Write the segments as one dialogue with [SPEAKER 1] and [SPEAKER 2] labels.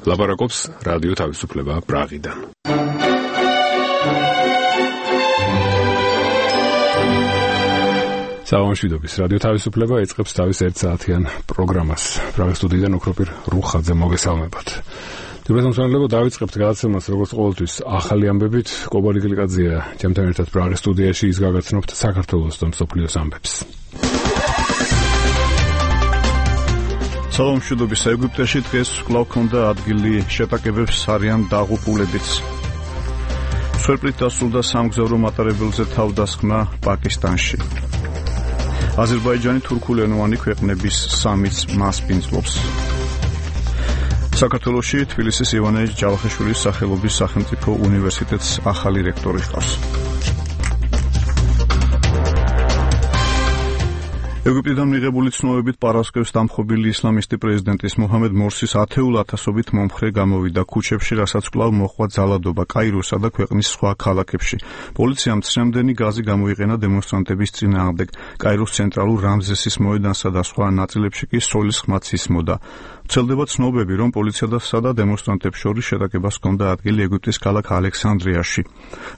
[SPEAKER 1] ლაპარაკობს რადიო თავისუფლება პრაღიდან. საომშვიდობის რადიო თავისუფლება იწყებს თავის 1 საათიან პროგრამას. პრაღის სტუდიიდან ოქროპირ რუხაძე მოგესალმებათ. დიბრატომსმენლებო დავიწყებთ გადაცემას როგორც ყოველთვის ახალი ამბებით. კობარი გლიკაძეა ჩემთან ერთად პრაღის სტუდიაში, ის გაგაცნობთ საქართველოს და მსოფლიოს ამბებს.
[SPEAKER 2] საომშვიდობის ეგვიპტეში დღეს კვლავ ჰქონდა ადგილი შეტაკებებს არიან დაღუპულებიც. სვერპლით დასრულდა სამგზავრო მატარებელზე თავდასხმა პაკისტანში. აზერბაიჯანი თურქულენოვანი ქვეყნების სამიც მასპინძლობს. საქართველოში თბილისის ივანე ჯავახიშვილის სახელობის სახელმწიფო უნივერსიტეტს ახალი რექტორი ჰყავს. ეგვიპტიდან მიღებული ცნობებით პარასკევს დამხობილი ისლამისტი პრეზიდენტის მოჰამედ მორსის ათეულ ათასობით მომხრე გამოვიდა ქუჩებში, რასაც კვლავ მოჰყვა ძალადობა კაიროსა და ქვეყნის სხვა ქალაქებში. პოლიციამ ცრემლდენი გაზი გამოიყენა დემონსტრანტების წინააღმდეგ. კაიროს ცენტრალურ რამზესის მოედანსა და სხვა ნაწილებში კი სოლის ხმაც ისმოდა. ვრცელდება ცნობები, რომ პოლიციასა და დემონსტრანტებს შორის შეტაკებას ჰქონდა ადგილი ეგვიპტის ქალაქ ალექსანდრიაში.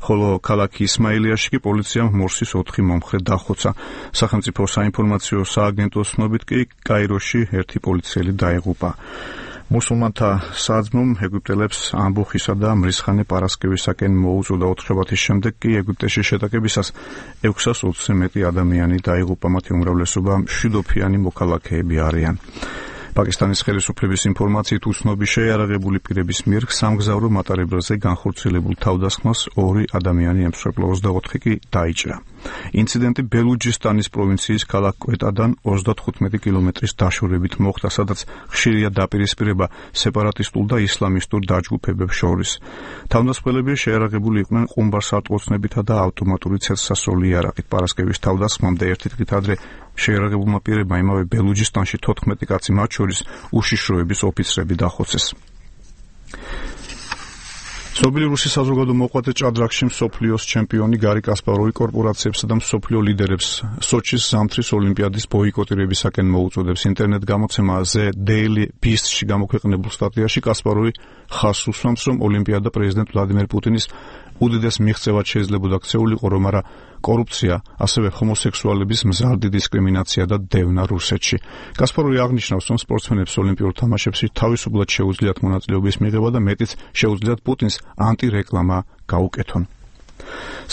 [SPEAKER 2] ხოლო ქალაქ ისმაილიაში კი პოლიციამ მორსის 4 მომხრე დახოცა. სახელმწიფო საინფორმაციო სააგენტოს ცნობით კი კაიროში 1 პოლიციელი დაეღუპა. მუსულმანთა საძმომ ეგვიპტელებს ამბოხისა და მრისხანე პარასკევისაკენ მოუწოდა. 4 შაბათის შემდეგ კი ეგვიპტეში შეტაკებისას 620-ზე მეტი ადამიანი დაიღუპა, მათი უმრავლესობა მშვიდობიანი მოქალაქეები არიან. პაკისტანის ხელისუფლების ინფორმაციით უცნობი შეიარაღებული პირების მიერ სამგზავრო მატარებელზე განხორციელებულ თავდასხმას 2 ადამიანი ემსხვერპლა, 24 კი დაიჭრა. ინციდენტი ბელუჯისტანის პროვინციის ქალაქ კვეტადან 35 კილომეტრის დაშორებით მოხდა, სადაც ხშირია დაპირისპირება სეპარატისტულ და ისლამისტურ დაჯგუფებებს შორის. თავდასხმელები შეიარაღებული იყვნენ ყუმბარსარტყოცნებითა და ავტომატური ცეცხლსასროლი იარაღით. პარასკევის თავდასხმამდე 1 დღით ადრე შეიარაღებულმა პირებმა იმავე ბელუჯისტანში 14 კაცი, მათ შორის უშიშროების ოფიცრები დახოცეს. ცნობილი რუსი საზოგადო მოღვაწე ჭადრაკში მსოფლიოს ჩემპიონი გარი კასპაროვი კორპორაციებსა და მსოფლიო ლიდერებს სოჩის ზამთრის ოლიმპიადის ბოიკოტირებისაკენ მოუწოდებს. ინტერნეტ გამოცემა The Daily Beast-ში გამოქვეყნებულ სტატიაში კასპაროვი ხაზს უსვამს, რომ ოლიმპიადა პრეზიდენტ ვლადიმერ პუტინის უდიდეს მიღწევად შეიძლებოდა ქცეულიყო, რომ არა კორუფცია, ასევე ჰომოსექსუალების მზარდი დისკრიმინაცია და დევნა რუსეთში. კასპაროვი აღნიშნავს, რომ სპორტსმენებს ოლიმპიურ თამაშებში თავისუფლად შეუძლიათ მონაწილეობის მიღება და მეტიც შეუძლიათ პუტინს ანტირეკლამა გაუკეთონ.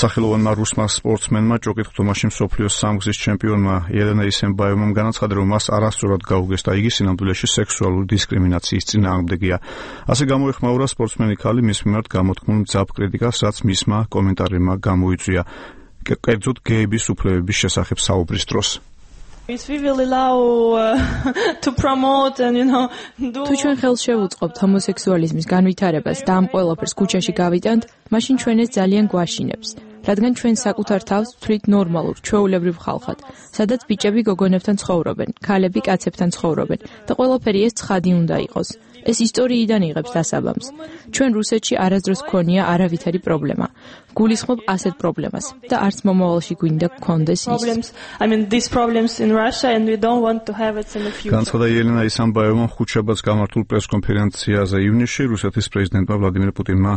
[SPEAKER 2] სახელოვანმა რუსმა სპორტსმენმა ჭოკით თამაში მსოფლიოს სამგზის ჩემპიონმა ელენა ისენბაევამ განაცხადა, რომ მას არასწორად გაუგეს და იგი სინამდვილეში სექსუალური დისკრიმინაციის წინააღმდეგია. ასე გამოეხმაურა სპორტსმენი ქალი მის მიმართ გამოთქმულ მძაფ კრიტიკას, რაც მისმა კომენტარებმა გამოიწვია. კერძოდ გეების უფლებების შესახებ საუბრის დროს.
[SPEAKER 3] თუ ჩვენ ხელს შევუწყობთ ჰომოსექსუალიზმის განვითარებას და ამ ყველაფერს ქუჩაში გავიტანთ, მაშინ ჩვენ ეს ძალიან გვაშინებს. რადგან ჩვენ საკუთარ თავს ვთვლით ნორმალურ, ჩვეულებრივ ხალხად, სადაც ბიჭები გოგონებთან ცხოვრობენ, ქალები კაცებთან ცხოვრობენ და ყველაფერი ეს ცხადი უნდა იყოს. ეს ისტორიიდან იღებს დასაბამს. ჩვენ რუსეთში არასდროს გქონია არავითარი პრობლემა. გულისხმობ ასეთ პრობლემას და არც მომავალში გვინდა გქონდეს ის.
[SPEAKER 2] განცხადა ელენა ისენბაევამ ხუთშაბათს გამართულ პრესკონფერენციაზე ივნისში. რუსეთის პრეზიდენტმა ვლადიმერ პუტინმა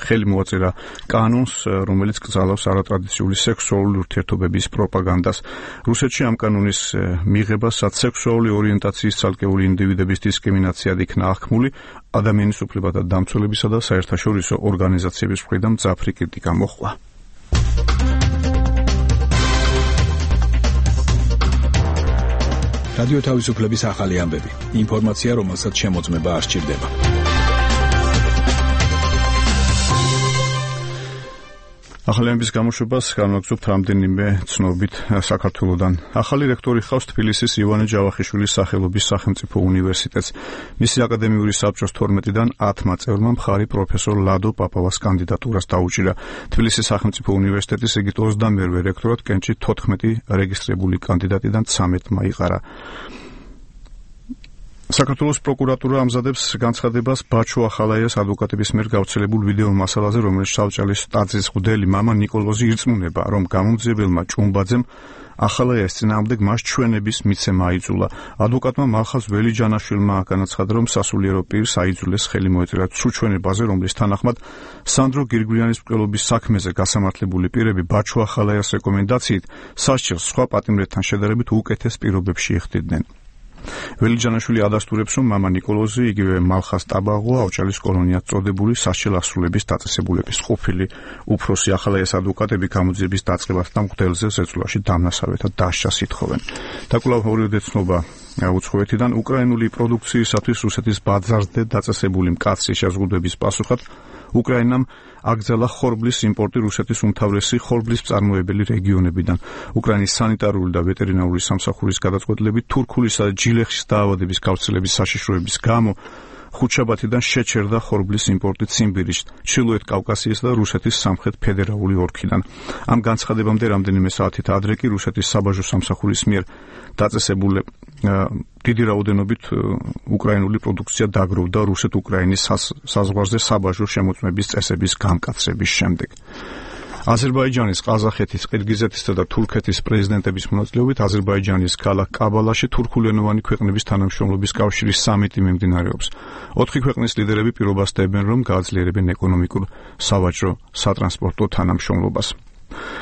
[SPEAKER 2] ხელი მოაწერა კანონს, რომელიც კრძალავს არატრადიციული სექსუალური ურთიერთობების პროპაგანდას. რუსეთში ამ კანონის მიღებასაც სექსუალური ორიენტაციის ცალკეული ინდივიდების დისკრიმინაციად იქნა აღქმული, ადამიანის უფლებათა დამცველებისა და საერთაშორისო ორგანიზაციების მხრიდან მძაფრი კრიტიკა მოჰყვა.
[SPEAKER 4] რადიო თავისუფლების ახალი ამბები. ინფორმაცია, რომელსაც შემოწმება არ სჭირდება.
[SPEAKER 2] ახალი ამბების გამოშვებას განვაგრძობთ რამდენიმე ცნობით საქართველოდან. ახალი რექტორი ჰყავს თბილისის ივანე ჯავახიშვილის სახელობის სახელმწიფო უნივერსიტეტს. მისი აკადემიური საბჭოს 12-დან 10 წევრმა მხარი პროფესორ ლადო პაპავას კანდიდატურას დაუჭირა. თბილისის სახელმწიფო უნივერსიტეტის იგი 22-ვე რექტორად კენჭით 14 რეგისტრირებული კანდიდატიდან 13 მაიყარა. საქართველოს პროკურატურა ამზადებს განცხადებას ბაჩო ახალაიას ადვოკატების მიერ გავრცელებულ ვიდეო მასალაზე, რომელიც შავჭალის ტაძრის მღვდელი მამა ნიკოლოზი ირწმუნება, რომ გამომძიებელმა ჭუმბაძემ ახალაიას წინააღმდეგ მას ჩვენების მიცემა აიძულა. ადვოკატმა მალხაზ ველიჯანაშვილმა განაცხადა, რომ სასულიერო პირს აიძულეს ხელი მოეწერა ცუჩვენებაზე, რომლის თანახმად სანდრო გირგვლიანის მკვლელობის საქმეზე გასამართლებული პირები ბაჩუ ახალაიას რეკომენდაციით სასჯელს სხვა პატიმრებთან შედარებით უკეთეს პირობებში იხდიდნენ. ველიჯანაშვილი ადასტურებს, რომ მამა ნიკოლოზი, იგივე მალხაზ ტაბაღო, აუჭალის კოლონიად წოდებული სასჯელ ასრულების დაწესებულების ყოფილი უფროსი ახალაიას ადვოკატები გამოძიების დაწყებასა და მღვდელზე ზეწოლაში დამნასავეთად დასჯას ითხოვენ. და კვლავ ორივე ცნობა უცხოეთიდან უკრაინული პროდუქციისათვის რუსეთის ბაზარზე დაწესებული მკაცრი შეზღუდვების პასუხად უკრაინამ აკრძალა ხორბლის იმპორტი რუსეთის უმთავრესი ხორბლის მწარმოებელი რეგიონებიდან. უკრაინის სანიტარული და ვეტერინარული სამსახურის გადაწყვეტილებით თურქულისა და ჯილეხის დაავადების გავრცელების საშიშროების გამო ხუთშაბათიდან შეჩერდა ხორბლის იმპორტი ციმბირის, ჩრდილოეთ კავკასიისა და რუსეთის სამხრეთ ფედერალური ოლქიდან. ამ განცხადებამდე რამდენიმე საათით ადრე კი რუსეთის საბაჟო სამსახურის მიერ დაწესებული დიდი რაოდენობით უკრაინული პროდუქცია დაგროვდა რუსეთ-უკრაინის საზღვარზე საბაჟო შემოწმების წესების განკაცრების შემდეგ. აზერბაიჯანის, ყაზახეთის, ყირგიზეთისა და თურქეთის პრეზიდენტების მონაწილეობით აზერბაიჯანის ქალაქ კაბალაში თურქულენოვანი ქვეყნების თანამშრომლობის კავშირის სამიტი მიმდინარეობს. 4 ქვეყნის ლიდერები პირობას დებენ, რომ გააძლიერებენ ეკონომიკურ, სავაჭრო, სატრანსპორტო თანამშრომლობას.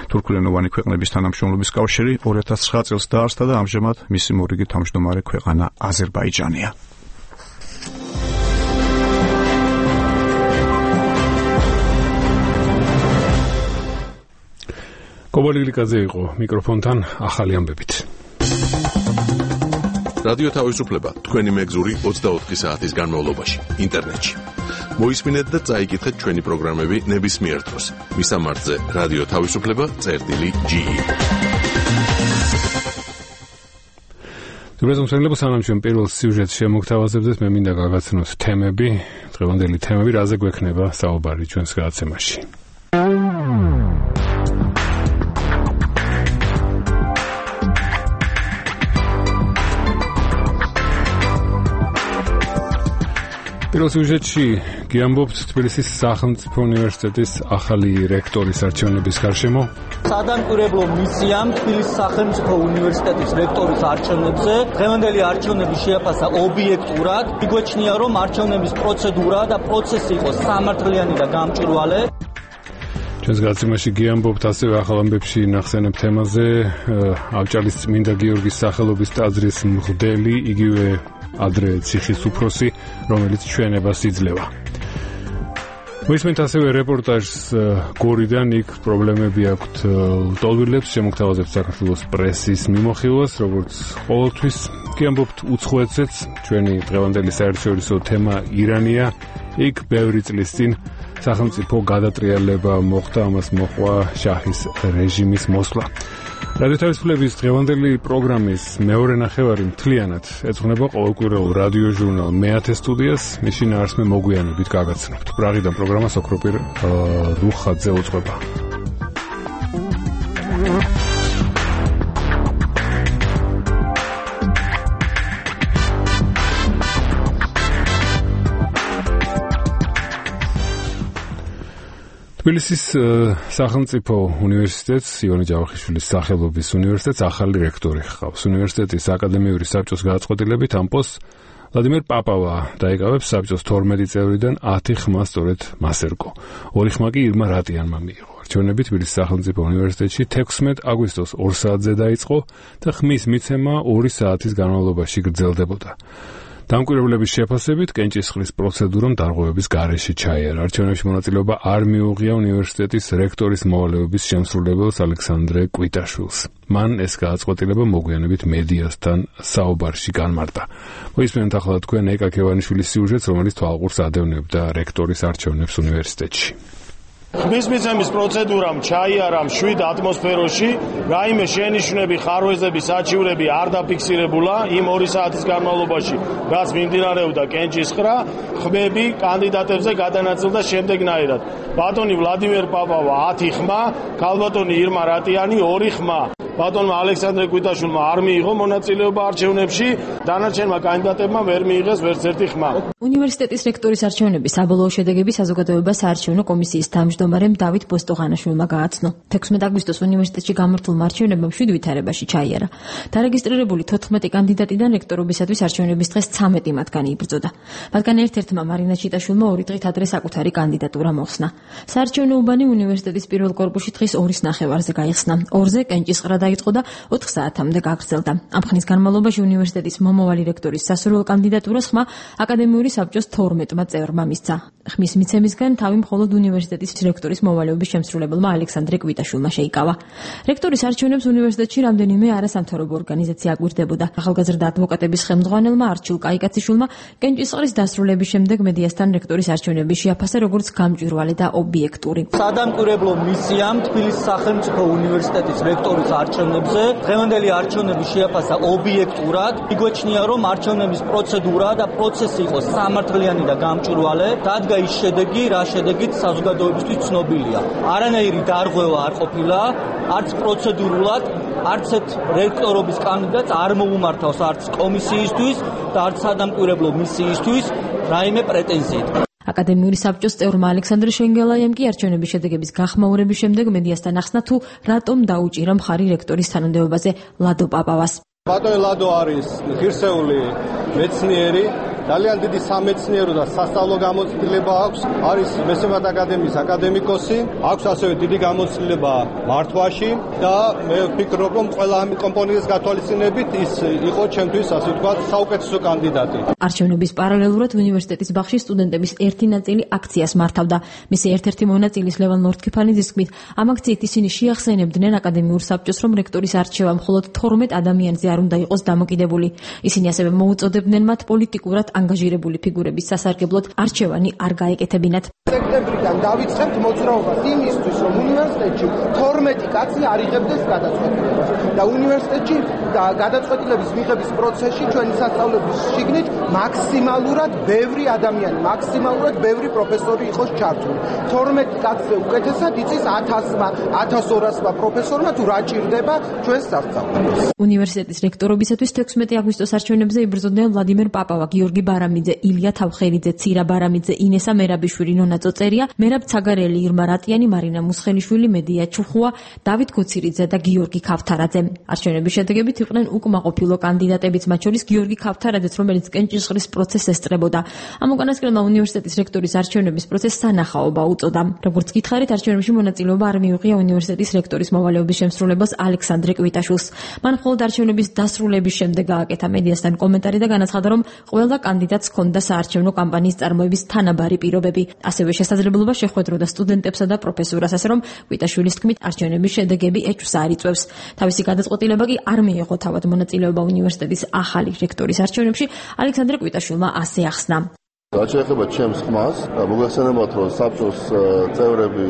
[SPEAKER 2] თურქულენოვანი ქვეყნების თანამშრომლობის კავშირი 2009 წელს დაარსდა და ამჟამად მისი მორიგი თავმჯდომარე ქვეყანა აზერბაიჯანია.
[SPEAKER 1] კობალილიკაძე იყო მიკროფონთან ახალი ამბებით.
[SPEAKER 5] რადიო თავისუფლება თქვენი მეგზური 24 საათის განმავლობაში ინტერნეტში. მოისმინეთ და წაიკითხეთ ჩვენი პროგრამები ნებისმიერ დროს. მისამართზე რადიო თავისუფლება.ge.
[SPEAKER 1] თუმცა სანამ ჩვენ პირველ სიუჟეტს შემოგთავაზებდეთ, მე მინდა გაგაცნოთ თემები, დღევანდელი თემები, რაზე გვექნება საუბარი ჩვენს გადაცემაში. პირველ სიუჟეტში გიამბობთ თბილისის სახელმწიფო უნივერსიტეტის ახალი რექტორის არჩევნების გარშემო.
[SPEAKER 6] სადამკვირვებლო მისიამ თბილისის სახელმწიფო უნივერსიტეტის რექტორის არჩევნებზე დღევანდელი არჩევნები შეაფასა ობიექტურად. იგვეჩნია, რომ არჩევნების პროცედურა და პროცესი იყო სამართლიანი და გამჭვირვალე. ჩვენს გადაცემაში გიამბობთ ასევე ახალ ამბებში ნახსენებ თემაზე ავჭალის წმინდა გიორგის სახელობის ტაძრის მღვდელი, იგივე ადრე ციხის უფროსი, რომელიც ჩვენებას იძლევა. მოისმენთ ასევე რეპორტაჟს გორიდან, იქ პრობლემები აქვთ ლტოლვილებს, შემოგთავაზებთ საქართველოს პრესის მიმოხილვას, როგორც ყოველთვის. გიამბობთ უცხოეთზეც, ჩვენი დღევანდელი საერთაშორისო თემა ირანია, იქ ბევრი წლის წინ სახელმწიფო გადატრიალება მოხდა, ამას მოყვა შაჰის რეჟიმის მოსვლა. რადიო თავისუფლების დღევანდელი პროგრამის მეორე ნახევარი მთლიანად ეძღვნება ყოველკვირეულ რადიო ჟურნალ მეათე სტუდიას, მის შინაარსს მე მოგვიანებით გაგაცნობთ. პრაღიდან პროგრამას ოქროპირ რუხაძე უძღვება. თბილისის სახელმწიფო უნივერსიტეტს, ივანე ჯავახიშვილის სახელობის უნივერსიტეტს ახალი რექტორი ჰყავს. უნივერსიტეტის აკადემიური საბჭოს გადაწყვეტილებით ამ პოსტს ვლადიმერ პაპავა დაიკავებს. საბჭოს 12 წევრიდან 10 ხმა სწორედ მას ერგო. 2 ხმა კი ირმა რატიანმა მიიღო. არჩევნები თბილისის სახელმწიფო უნივერსიტეტში 16 აგვისტოს 2 საათზე დაიწყო და ხმის მიცემა 2 საათის განმავლობაში გრძელდებოდა. დამკვირვებლების შეფასებით კენჭისყრის პროცედურამ დარღვევების გარეშე ჩაიარა. არჩევნებში მონაწილეობა არ მიუღია უნივერსიტეტის რექტორის მოვალეობის შემსრულებელს ალექსანდრე კვიტაშვილს. მან ეს გადაწყვეტილება მოგვიანებით მედიასთან საუბარში განმარტა. მოისმენთ ახლა თქვენ ეკა ქევანიშვილის სიუჟეტს, რომელიც თვალყურს ადევნებდა რექტორის არჩევნებს უნივერსიტეტში.
[SPEAKER 7] ხმის მიცემის პროცედურამ ჩაიარა მშვიდ ატმოსფეროში, რაიმე შენიშვნები, ხარვეზები, საჩივრები არ დაფიქსირებულა იმ 2 საათის განმავლობაში, რაც მიმდინარეობდა კენჭისყრა. ხმები კანდიდატებზე გადანაწილდა შემდეგნაირად: ბატონი ვლადიმერ პაპავა 10 ხმა, ქალბატონი ირმა რატიანი 2 ხმა. ბატონმა ალექსანდრე კვიტაშვილმა არ მიიღო მონაწილეობა არჩევნებში, დანარჩენმა კანდიდატებმა ვერ მიიღეს ვერც ერთი ხმა.
[SPEAKER 8] უნივერსიტეტის რექტორის არჩევნების საბოლოო შედეგები საზოგადოება საარჩევნო კომისიის თავმჯდომარემ დავით ბოსტოღანაშვილმა გააცნო. 16 აგვისტოს უნივერსიტეტში გამართულმა არჩევნებამ 7 ვითარებაში ჩაიარა. დარეგისტრირებული 14 კანდიდატიდან რექტორობისათვის არჩევნების დღეს 13 მათგანი იბრძოდა. მათგან ერთ-ერთმა მარინა ჩიტაშვილმა 2 დღით ადრე საკუთარი კანდიდატურა მოხსნა. საარჩევნო უბანი უნივერსიტეტის პირველ კორპუსში დღის 2:30-ზე გაიხსნა. 2-ზე კენჭისყრა დაიწყო და 4 საათამდე გაგრძელდა. ამ ხნის განმავლობაში უნივერსიტეტის მომავალი რექტორის სასურველ კანდიდატურას ხმა აკადემიური საბჭოს 12-მა წევრმა მისცა. ხმის მიცემისგან თავი მხოლოდ უნივერსიტეტის რექტორის მოვალეობის შემსრულებელმა ალექსანდრე კვიტაშვილმა შეიკავა. რექტორის არჩევნებს უნივერსიტეტში რამდენიმე არასამთავრობო ორგანიზაცია აგვირდებოდა. ახალგაზრდა ადვოკატების ხელმძღვანელმა არჩილ კაიკაციაშვილმა კენჭისყრის დასრულების შემდეგ მედიასთან რექტორის არჩევნები შეაფასა როგორც გამჭვირვალე და ობიექტური.
[SPEAKER 6] სადამკვირვებლო მისიამ თბილისის სახელმწიფო უნივერსიტეტის რექტორის არჩევნებზე დღევანდელი არჩევნები შეაფასა ობიექტურად. იგვეჩნია, რომ არჩევნების პროცედურა და პროცესი იყო სამართლიანი და გამჭვირვალე. დადგა ის შედეგი, რა შედეგით საზოგადოებისთვის ცნობილია. არანაირი დარღვევა არ ყოფილა, არც პროცედურულად, არც ერთ რექტორობის კანდიდატს არ მოუმართავს არც კომისიისთვის და არც სადამკვირვებლო მისიისთვის რაიმე პრეტენზიით.
[SPEAKER 8] აკადემიური საბჭოს წევრმა ალექსანდრე შენგელაიამ კი არჩევნების შედეგების გახმაურების შემდეგ მედიასთან ახსნა თუ რატომ დაუჭირა მხარი რექტორის თანამდებობაზე ლადო პაპავას.
[SPEAKER 9] ბატონი ლადო არის ღირსეული მეცნიერი, ძალიან დიდი სამეცნიერო და სასწავლო გამოცდილება აქვს, არის მესამე აკადემიის აკადემიკოსი, აქვს ასევე დიდი გამოცდილება მართვაში და მე ვფიქრობ, რომ ყველა ამ კომპონენტის გათვალისწინებით ის იყო ჩემთვის, ასე ვთქვათ, საუკეთესო კანდიდატი.
[SPEAKER 8] არჩევნების პარალელურად უნივერსიტეტის ბაღში სტუდენტების ერთი ნაწილი აქციას მართავდა. მისი ერთ-ერთი მონაწილის ლევან ლორთქიფანიძის თქმით, ამ აქციით ისინი შეახსენებდნენ აკადემიურ საბჭოს, რომ რექტორის არჩევა მხოლოდ 12 ადამიანზე არ უნდა იყოს დამოკიდებული. ისინი ასევე მოუწოდებდნენ მათ პოლიტიკურად ანგაჟირებული ფიგურების სასარგებლოდ არჩევანი არ გაეკეთებინათ.
[SPEAKER 10] სექტემბრიდან დავიწყებთ მოძრაობას იმისთვის, რომ უნივერსიტეტში 12 კაცი არ იღებდეს გადაწყვეტილებას და უნივერსიტეტში გადაწყვეტილების მიღების პროცესში ჩვენი სასწავლებლების შიგნით მაქსიმალურად ბევრი ადამიანი, მაქსიმალურად ბევრი პროფესორი იყოს ჩართული. 12 კაცზე უკეთესად იცის 1000-მა, 1200-მა პროფესორმა თუ რა ჭირდება ჩვენს სასწავლებლებს.
[SPEAKER 8] უნივერსიტეტის რექტორობისათვის 16 აგვისტოს არჩევნებზე იბრძოდნენ ვლადიმერ პაპავა, გიორგი ბარამიძე, ილია თავხერიძე, ცირა ბარამიძე, ინესა მერაბიშვილი, ნონა წოწერია, მერაბ ცაგარელი, ირმა რატიანი, მარინა მუსხელიშვილი, მედია ჩუხუა, დავით კოცირიძე და გიორგი ქავთარაძე. არჩევნების შედეგებით იყვნენ უკმაყოფილო კანდიდატებიც, მათ შორის გიორგი ქავთარაძეც, რომელიც კენჭისყრის პროცესს ესწრებოდა. ამ უკანასკნელმა უნივერსიტეტის რექტორის არჩევნების პროცესს სანახაობა უწოდა. როგორც გითხარით, არჩევნებში მონაწილეობა არ მიუღია უნივერსიტეტის რექტორის მოვალეობის შემსრულებელს ალექსანდრე კვიტაშვილს. მან მხოლოდ არჩევნების დასრულების შემდეგ გააკეთა მედიასთან კომენტარი და განაცხადა, რომ ყველა კანდიდატს ჰქონდა საარჩევნო კამპანიის წარმოების თანაბარი პირობები. ასევე შესაძლებლობა შეხვედროდა სტუდენტებსა და პროფესორას, ასე რომ კვიტაშვილის თქმით, არჩევნების შედეგები ეჭვს არ იწვევს. თავისი გადაწყვეტილება კი არ მიიღო თავად მონაწილეობა უნივერსიტეტის ახალი რექტორის არჩევნებში. ალექსანდრე კვიტაშვილმა ასე ახსნა.
[SPEAKER 11] რაც შეეხება ჩემს ხმას, მოგეხსენებათ, რომ საბჭოს წევრები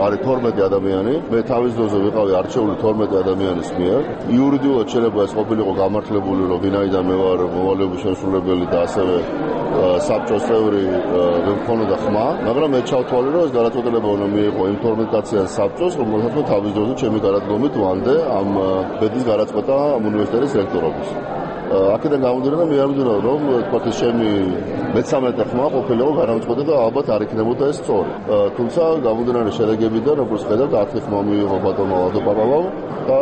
[SPEAKER 11] არის 12 ადამიანი, მე თავის დროზე ვიყავი არჩეული 12 ადამიანის მიერ. იურიდიულად შეიძლება ეს ყოფილიყო გამართლებული, რომ ვინაიდან მე ვარ მოვალეობის შემსრულებელი და ასევე საბჭოს წევრი მქონოდა ხმა, მაგრამ მე ჩავთვალე, რომ ეს გადაწყვეტილება უნდა მიიღო იმ 12 კაციან საბჭოს, რომელსაც თავის დროზე ჩემი გადადგომით ვანდე ამ ბედის გადაწყვეტა უნივერსიტეტის რექტორობის. აქედან გამომდინარე, მე არ ვიმდენო, რომ თქვათ ჩემი მეცამეტე ხმა ყოფილიყო განამწყვეტა და ალბათ არ იქნებოდა ეს სწორი. თუმცა გამომდინარე შედეგებიდან, როგორც ხედავთ, 10 ხმა მიიღო ბატონმა ლადო პაპავამ და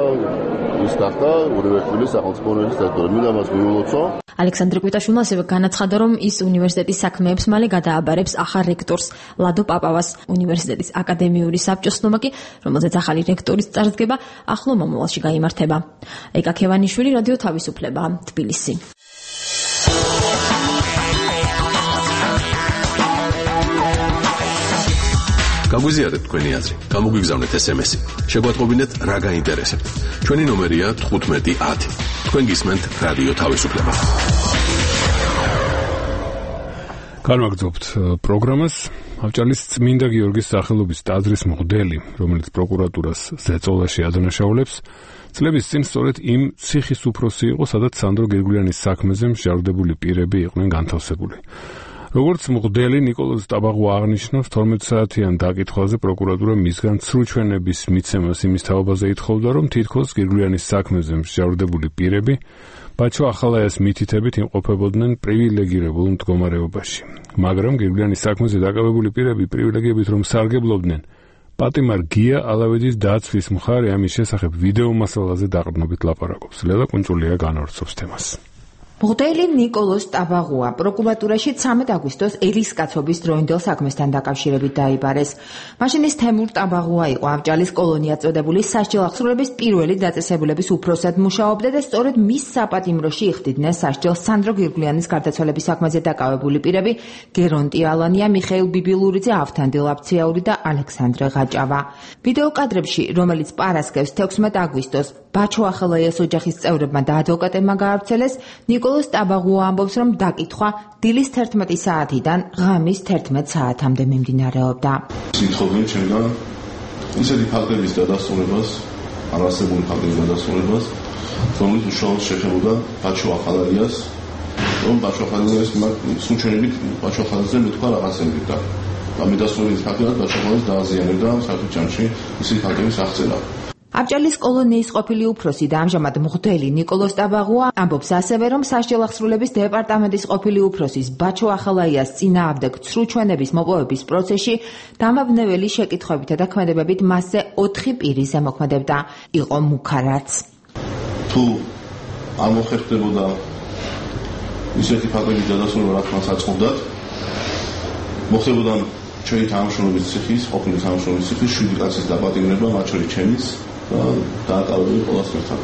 [SPEAKER 11] ის გახდა უნივერსიტეტის სახელმწიფო უნივერსიტეტის რექტორი. მინდა მას მიულოცო.
[SPEAKER 8] ალექსანდრე კვიტაშვილმა ასევე განაცხადა, რომ ის უნივერსიტეტის საქმეებს მალე გადააბარებს ახალ რექტორს ლადო პაპავას. უნივერსიტეტის აკადემიური საბჭოს ცნობა კი, რომელზეც ახალი რექტორის წარდგება ახლო მომავალში გაიმართება. ეკა ქევანიშვილი, რადიო თავისუფლება, თბილისი.
[SPEAKER 5] გაგვიზიარეთ თქვენი აზრი, გამოგვიგზავნეთ SMS-ი. შეგვატყობინეთ რა გაინტერესებთ. ჩვენი ნომერია 1510. თქვენ გისმენთ რადიო თავისუფლება.
[SPEAKER 1] განვაგრძობთ პროგრამას. ავჭალის წმინდა გიორგის სახელობის ტაძრის მღვდელი, რომელიც პროკურატურას ზეწოლაში ადანაშაულებს, წლების წინ სწორედ იმ ციხის უფროსი იყო, სადაც სანდრო გერგულიანის საქმეზე მსჯავრდებული პირები იყვნენ განთავსებული. როგორც მღვდელი ნიკოლოზ ტაბაღვა აღნიშნავს, 12 საათიან დაკითხვაზე პროკურატურა მისგან ცრუჩვენების მიცემას იმის თაობაზე ითხოვდა, რომ თითქოს გირგვლიანის საქმეზე მსჯავრდებული პირები ბაჩო ახალაიას მითითებით იმყოფებოდნენ პრივილეგირებულ მდგომარეობაში. მაგრამ გირგვლიანის საქმეზე დაკავებული პირები პრივილეგიებით რომ სარგებლობდნენ, პატიმარ გია ალავეძის დაცვის მხარე ამის შესახებ ვიდეო მასალაზე დაყრდნობით ლაპარაკობს. ლელა კუნჭულია განავრცობს თემას.
[SPEAKER 12] მღვდელი ნიკოლოზ ტაბაღვა პროკურატურაში 13 აგვისტოს ერისკაცობის დროინდელ საქმესთან დაკავშირებით დაიბარეს. მაშინ ის თემურ ტაბაღვა იყო ავჭალის კოლონია წოდებული სასჯელ აღსრულების პირველი დაწესებულების უფროსად მუშაობდა და სწორედ მის საპატიმროში იხდიდნენ სასჯელს სანდრო გირგვლიანის გარდაცვალების საქმეზე დაკავებული პირები გერონტი ალანია, მიხეილ ბიბილურიძე, ავთანდილ აფციაური და ალექსანდრე ღაჭავა. ვიდეო კადრებში, რომელიც პარასკევს 16 აგვისტოს ბაჩო ახალაიას ოჯახის წევრებმა და ადვოკატებმა გაავრცელეს, ნიკოლოზ ტაბაღვა ამბობს, რომ დაკითხვა დილის 11 საათიდან ღამის 11 საათამდე მიმდინარეობდა.
[SPEAKER 11] სიტყვით ჩემგან ისეთი ფაქტების დადასტურებას, არასებული ფაქტების დადასტურებას, რომელიც უშუალოდ შეხებოდა ბაჩო ახალაიას, რომ ბაჩო ახალაიას სუჩენებით ბაჩო ახალაიაზე მეთქვა რაღაცები და ამედასწორების ფაქტად ბაჩო ახალაიას დააზიანებდა საერთო ჯამში ისეთი ფაქტების აღწერა.
[SPEAKER 12] ავჭალის კოლონიის ყოფილი უფროსი და ამჟამად მღვდელი ნიკოლოზ ტაბაღვა ამბობს ასევე, რომ სასჯელ აღსრულების დეპარტამენტის ყოფილი უფროსის ბაჩო ახალაიას წინააღმდეგ ცრუჩვენების მოპოვების პროცესში დამაბნეველი შეკითხვებითა და ქმედებებით მასზე 4 პირი ზემოქმედებდა. იყო მუქარაც.
[SPEAKER 11] თუ არ მოხერხდებოდა ისეთი ფაქტების დადასტურება, რაც მას აწყობდათ, მოხდებოდა ჩვენი თანამშრომლობის ციხის, ყოფილი თანამშრომლობის ციხის 7 კაცის დაპატიმრება, მათ შორის ჩემიც დააკავებული ყველას ერთად.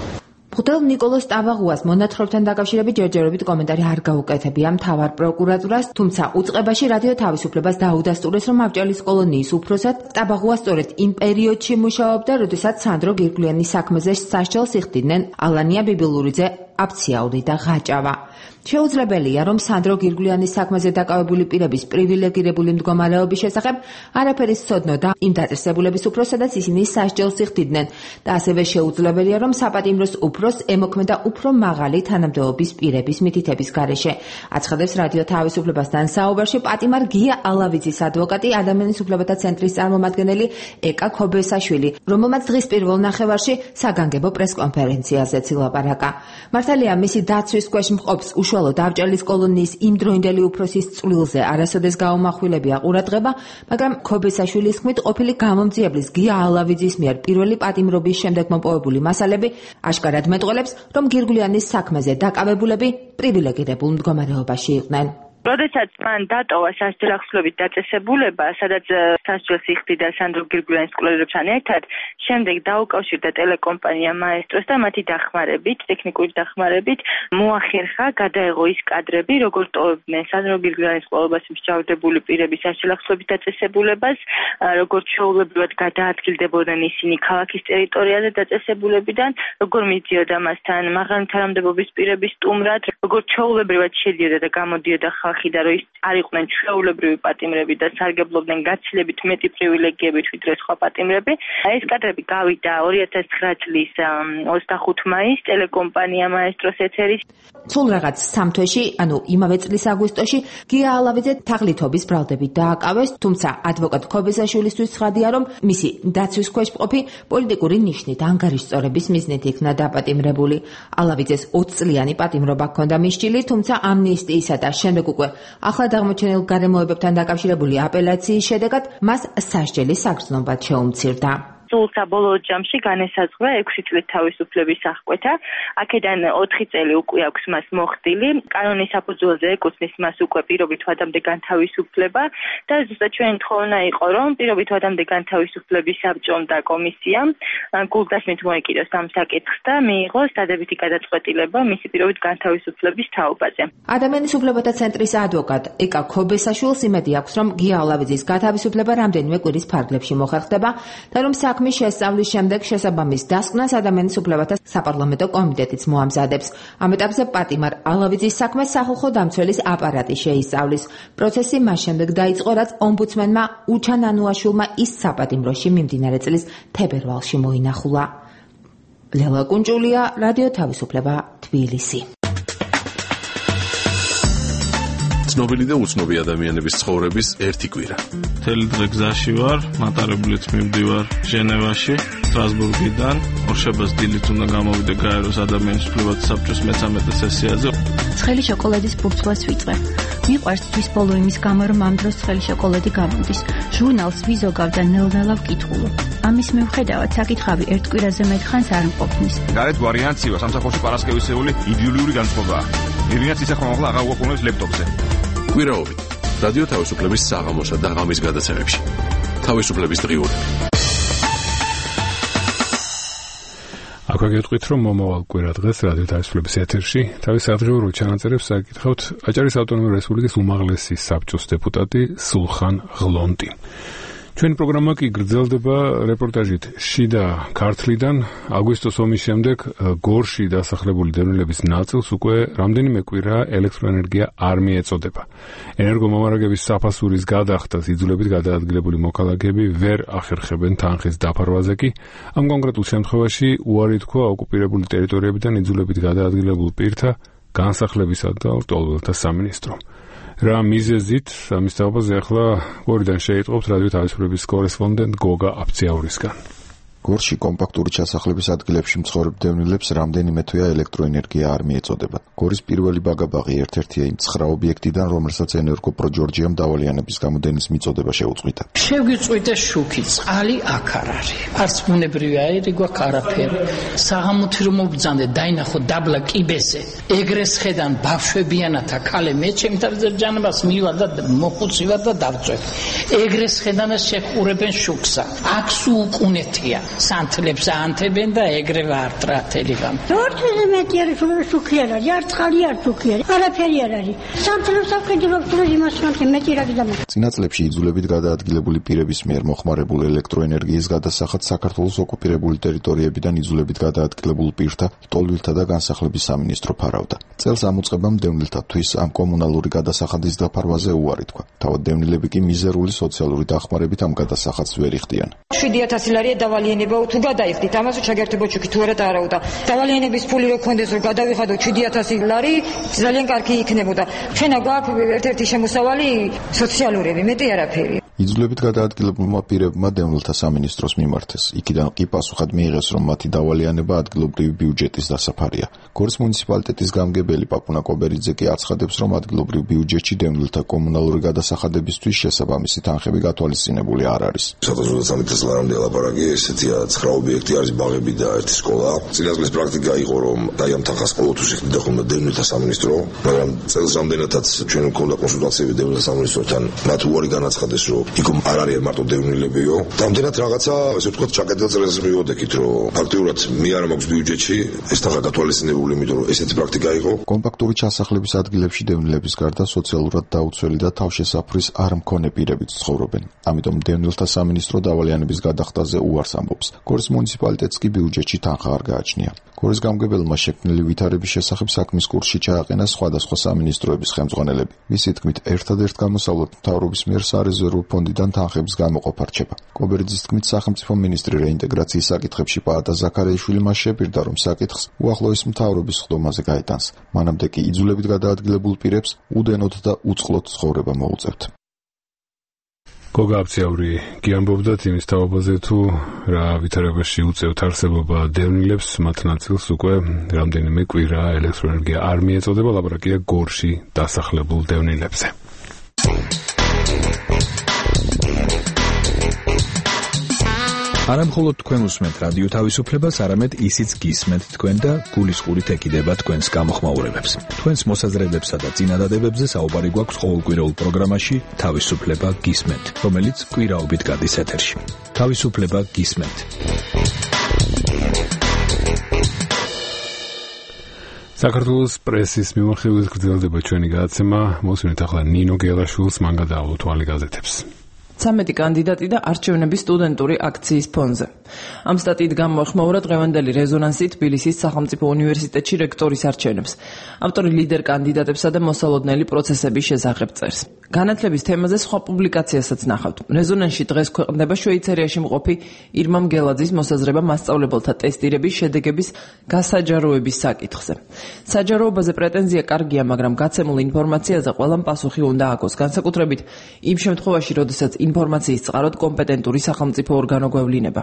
[SPEAKER 12] მღვდელ ნიკოლოზ ტაბაღვას მონათხრობთან დაკავშირებით ჯერჯერობით კომენტარი არ გაუკეთებია მთავარ პროკურატურას, თუმცა უწყებაში რადიო თავისუფლებას დაუდასტურეს, რომ ავჭალის კოლონიის უფროსად ტაბაღვა სწორედ იმ პერიოდში მუშაობდა, როდესაც სანდრო გირგვლიანის საქმეზე სასჯელს იხდიდნენ ალანია ბიბილურიძე, აფციაური და ღაჭავა. შეუძლებელია, რომ სანდრო გირგვლიანის საქმეზე დაკავებული პირების პრივილეგირებული მდგომარეობის შესახებ არაფერი სცოდნოდა იმ დაწესებულების უფროსს, სადაც ისინი სასჯელს იხდიდნენ და ასევე შეუძლებელია, რომ საპატიმროს უფროსს ემოქმედა უფრო მაღალი თანამდებობის პირების მითითების გარეშე. აცხადებს რადიო თავისუფლებასთან საუბარში პატიმარ გია ალავიძის ადვოკატი, ადამიანის უფლებათა ცენტრის წარმომადგენელი ეკა ქობესაშვილი, რომელმაც დღის პირველ ნახევარში საგანგებო პრესკონფერენციაზეც ილაპარაკა. მართალია, მისი დაცვის ქვეშ მყოფს უშუალოდ ავჭალის კოლონიის იმდროინდელი უფროსის წვლილზე არასოდეს გაუმახვილებია ყურადღება, მაგრამ ქობესაშვილის ხმით ყოფილი გამომძიებლის გია ალავიძის მიერ პირველი პატიმრობის შემდეგ მოპოვებული მასალები აშკარად მეტყველებს, რომ გირგვლიანის საქმეზე დაკავებულები პრივილეგირებულ მდგომარეობაში იყვნენ.
[SPEAKER 13] როდესაც მან დატოვა სასჯელ აღსრულების დაწესებულება, სადაც სასჯელს იხდიდა სანდრო გირგვლიანის კვლევებთან ერთად, შემდეგ დაუკავშირდა ტელეკომპანია მაესტროს და მათი დახმარებით, ტექნიკური დახმარებით, მოახერხა გადაეღო ის კადრები, როგორც ტოვებდნენ სანდრო გირგვლიანის კვლევას მსჯავრდებული პირების სასჯელ აღსრულების დაწესებულებას, როგორც ჩვეულებრივად გადაადგილდებოდნენ ისინი ქალაქის ტერიტორიაზე დაწესებულებიდან, როგორ მიდიოდა მასთან მაღალი თანამდებობის პირების სტუმრად, როგორც ჩვეულებრივად შედიოდა და გამოდიოდა ხალხი და რომ ის არ იყვნენ ჩვეულებრივი პატიმრები და სარგებლობდნენ გაცილებით მეტი პრივილეგიებით ვიდრე სხვა პატიმრები. ეს კადრები გავიდა 2009 წლის 25 მაისს ტელეკომპანია მაესტროს ეთერის.
[SPEAKER 12] სულ რაღაც 3 თვეში, ანუ იმავე წლის აგვისტოში, გია ალავიძე თაღლითობის ბრალდებით დააკავეს, თუმცა ადვოკატ ქობესაშვილისთვის ცხადია, რომ მისი დაცვის ქვეშ მყოფი პოლიტიკური ნიშნით ანგარიშწორების მიზნით იქნა დაპატიმრებული. ალავიძეს 20 წლიანი პატიმრობა ჰქონდა მისჭილი, თუმცა ამნისტიისა და შემდეგ უკვე ახლად აღმოჩენილ გარემოებებთან დაკავშირებული აპელაციის შედეგად მას სასჯელი საგრძნობად შეუმცირდა.
[SPEAKER 13] სულ საბოლოო ჯამში განესაზღვრა 6 წლის თავისუფლების აღკვეთა. აქედან 4 წელი უკვე აქვს მას მოხდილი. კანონის საფუძველზე ეკუთვნის მას უკვე პირობით ვადამდე განთავისუფლება და ზუსტად ჩვენი თხოვნა იყო, რომ პირობით ვადამდე განთავისუფლების საბჭომ და კომისიამ გულდასმით მოეკიდოს ამ საკითხს და მიიღოს დადებითი გადაწყვეტილება მისი პირობით განთავისუფლების თაობაზე.
[SPEAKER 12] ადამიანის უფლებათა ცენტრის ადვოკატ ეკა ქობესაშვილს იმედი აქვს, რომ გია ალავიძის გათავისუფლება რამდენიმე კვირის ფარგლებში მოხერხდება და რომ საქმის შესწავლის შემდეგ შესაბამის დასკვნას ადამიანის უფლებათა საპარლამენტო კომიტეტიც მოამზადებს. ამ ეტაპზე პატიმარ ალავიძის საქმეს სახალხო დამცველის აპარატი შეისწავლის. პროცესი მას შემდეგ დაიწყო, რაც ომბუდსმენმა უჩან ანუაშვილმა ის საპატიმროში მიმდინარე წლის თებერვალში მოინახულა. ლელა კუნჭულია, რადიო თავისუფლება, თბილისი.
[SPEAKER 5] ცნობილი და უცნობი ადამიანების ცხოვრების ერთი კვირა.
[SPEAKER 14] მთელი დღე გზაში ვარ, მატარებლით მივდივარ ჟენევაში, სტრასბურგიდან, ორშაბათს დილით უნდა გამოვიდე გაეროს ადამიანის უფლებათა საბჭოს მე-13 სესიაზე.
[SPEAKER 15] ცხელი შოკოლადის ბურთულას ვიწვე. მიყვარს თვის ბოლო იმის გამო, რომ ამ დროს ცხელი შოკოლადი გამოდის. ჟურნალს ვიზოგავ და ნელ-ნელა ვკითხულობ. ამის მიუხედავად საკითხავი ერთ კვირაზე მეტ ხანს არ მყოფნის.
[SPEAKER 16] გარეთ ვარიანციო სამსახურში პარასკევისეული იდეოლიური განწყობაა. ირინაც ისე ხომ აღარ უყურებს ლეპტოპზე.
[SPEAKER 5] კვირაობით რადიო თავისუფლების საღამოსა და ღამის გადაცემებში. თავისუფლების დღიურები.
[SPEAKER 1] აქ გეტყვით, რომ მომავალ კვირა დღეს რადიო თავისუფლების ეთერში თავის საძღიურო ჩანაწერებს საკითხავთ აჭარის ავტონომიური რესპუბლიკის უმაღლესი საბჭოს დეპუტატი სულხან ღლონტი. ჩვენი პროგრამა კი გრძელდება რეპორტაჟით შიდა ქართლიდან. აგვისტოს ომის შემდეგ გორში დასახლებული დევნილების ნაწილს უკვე რამდენიმე კვირა ელექტროენერგია არ მიეწოდება. ენერგომომარაგების საფასურის გადახდას იძულებით გადაადგილებული მოქალაქეები ვერ ახერხებენ თანხის დაფარვაზე კი ამ კონკრეტულ შემთხვევაში უარი თქვა ოკუპირებული ტერიტორიებიდან იძულებით გადაადგილებულ პირთა განსახლებისა და ლტოლვილთა სამინისტრომ. რა მიზეზით ამის თაობაზე ახლა გორიდან შეიტყობთ რადიო თავისუფლების კორესპონდენტ გოგა აფციაურისგან.
[SPEAKER 17] გორში კომპაქტური ჩასახლების ადგილებში მცხოვრებ დევნილებს რამდენიმე თვეა ელექტროენერგია არ მიეწოდება. გორის პირველი ბაგაბაღი ერთ-ერთია იმ 9 ობიექტიდან, რომელსაც ენერგოპრო ჯორჯიამ დავალიანების გამოდენის მიწოდება შეუწყვიტა.
[SPEAKER 18] შევგიწყვიტე შუქი, წყალი აქ არ არის. არც ბუნებრივი აირი გვაქვს არაფერი. საღამოთი რომ მობძანდე, დაინახო დაბლა კიბეზე. ეგრეს ხედან ბავშვებიანათა ქალე მე ჩემ თავზე ჯანებას მივა და მოხუცივარ და დავწვევ. ეგრეს ხედანას შეხურებენ შუქსა. აქ სულკუნეთია. სანთლებს აანთებენ და ეგრევე არტრა თელიღამ.
[SPEAKER 19] ორთვეზე მეტი არის შუქი არ არის, არ წყალი არ შუქი არის, არაფერი არ არის. სანთლებს აკეთებს თუ იმას სანთლე მეტი რა გიდამა.
[SPEAKER 17] წინა წლებში იძულებით გადაადგილებული პირების მიერ მოხმარებული ელექტროენერგიის გადასახად საქართველოს ოკუპირებული ტერიტორიებიდან იძულებით გადაადგილებულ პირთა ლტოლვილთა და განსახლების სამინისტრო ფარავდა. წელს ამ უწყებამ დევნილთა თვის ამ კომუნალური გადასახადის დაფარვაზე უარი თქვა. თავად დევნილები კი მიზერული სოციალური დახმარებით ამ გადასახადს ვერ იხდიან.
[SPEAKER 20] 7000 ლარია დავალიანება თუ გადაიხდით, ამაზე ჩაგერთებო ჩუქი თუ არა დაარაუდა. დავალიანების ფული რო გქონდეს რომ გადავიხადო 7000 ლარი, ძალიან კარგი იქნებოდა. ჩვენა გვაქვს ერთ-ერთი შემოსავალი სოციალურები, მეტი არაფერი.
[SPEAKER 17] იძულებით გადაადგილებულმა პირებმა დევნილთა სამინისტროს მიმართეს. იქიდან კი პასუხად მიიღეს, რომ მათი დავალიანება ადგილობრივი ბიუჯეტის დასაფარია. გორის მუნიციპალიტეტის გამგებელი პაპუნა კობერიძე კი აცხადებს, რომ ადგილობრივ ბიუჯეტში დევნილთა კომუნალური გადასახადებისთვის შესაბამისი თანხები გათვალისწინებული არ არის.
[SPEAKER 21] 2013 წლამდე ლაპარაკი ესეთია 9 ობიექტი არის ბაღები და ერთი სკოლა. წინა წლის პრაქტიკა იყო, რომ აი ამ თანხას ყოველთვის იხდიდა ხოლმე დევნილთა სამინისტრო, მაგრამ წელს რამდენადაც ჩვენ მქონდა კონსულტაციები დევნილთა სამინისტროსთან, მათ უარი განაცხადეს, რომ იქ არ არის მარტო დევნილებიო. Რამდენად რაღაცა, ესე ვთქვათ, ჩაკეტილ წელს მივოდექით, რომ ფაქტიურად მე არ მაქვს ბიუჯეტში ეს თანხა გათვალისწინებული, იმიტომ რომ ესეთი პრაქტიკა იყო.
[SPEAKER 17] კომპაქტური ჩასახლების ადგილებში დევნილების გარდა სოციალურად დაუცველი და თავშესაფრის არ მქონე პირებიც ცხოვრობენ. ამიტომ დევნილთა სამინისტრო დავალიანების გადახდაზე უარს ამბობს. გორის მუნიციპალიტეტს კი ბიუჯეტში თანხა არ გააჩნია. გორის გამგებელმა შექმნილი ვითარების შესახებ საქმის კურსში ჩააყენა სხვადასხვა სამინისტროების ხელმძღვანელები. მისი თქმით, ერთადერთ გამოსავლად მთავრობის მიერ სარეზერვო ფონდიდან თანხების გამოყოფა რჩება. კობერიძის თქმით, სახელმწიფო მინისტრი რეინტეგრაციის საკითხებში პაატა ზაქარიაშვილი მას შეპირდა, რომ საკითხს უახლოეს მთავრობის ხდომაზე გაეტანს. მანამდე კი იძულებით გადაადგილებულ პირებს უდენოდ და უწყლოდ ცხოვრება მოუწევთ. გოგა აფციაური გიამბობდათ იმის თაობაზე, თუ რა ვითარებაში უწევთ არსებობა დევნილებს, მათ ნაწილს უკვე რამდენიმე კვირა ელექტროენერგია არ მიეწოდება. ლაპარაკია გორში დასახლებულ დევნილებზე.
[SPEAKER 4] არა მხოლოდ თქვენ უსმენთ რადიო თავისუფლებას, არამედ ისიც გისმენთ თქვენ და გულისყურით ეკიდება თქვენს გამოხმაურებებს. თქვენს მოსაზრებებსა და წინადადებებზე საუბარი გვაქვს ყოველკვირეულ პროგრამაში თავისუფლება გისმენთ, რომელიც კვირაობით გადის ეთერში. თავისუფლება გისმენთ. საქართველოს პრესის მიმოხილვით გრძელდება ჩვენი გადაცემა. მოსვენით ახლა ნინო გელაშვილს, მან გადაავალო თვალი გაზეთებს.
[SPEAKER 3] 13 კანდიდატი და არჩევნების სტუდენტური აქციის ფონზე. ამ სტატიით გამოეხმაურა დღევანდელი რეზონანსი თბილისის სახელმწიფო უნივერსიტეტში რექტორის არჩევნებს. ავტორი ლიდერ კანდიდატებსა და მოსალოდნელი პროცესების შესახებ წერს. განათლების თემაზე სხვა პუბლიკაციასაც ნახავთ. რეზონანსში დღეს ქვეყნდება შვეიცარიაში მყოფი ირმა მგელაძის მოსაზრება მასწავლებელთა ტესტირების შედეგების გასაჯაროების საკითხზე. საჯაროებაზე პრეტენზია კარგია, მაგრამ გაცემულ ინფორმაციაზე ყველამ პასუხი უნდა აქვს, განსაკუთრებით იმ შემთხვევაში, როდესაც ინფორმაციის წყაროდ კომპეტენტური სახელმწიფო ორგანო გვევლინება.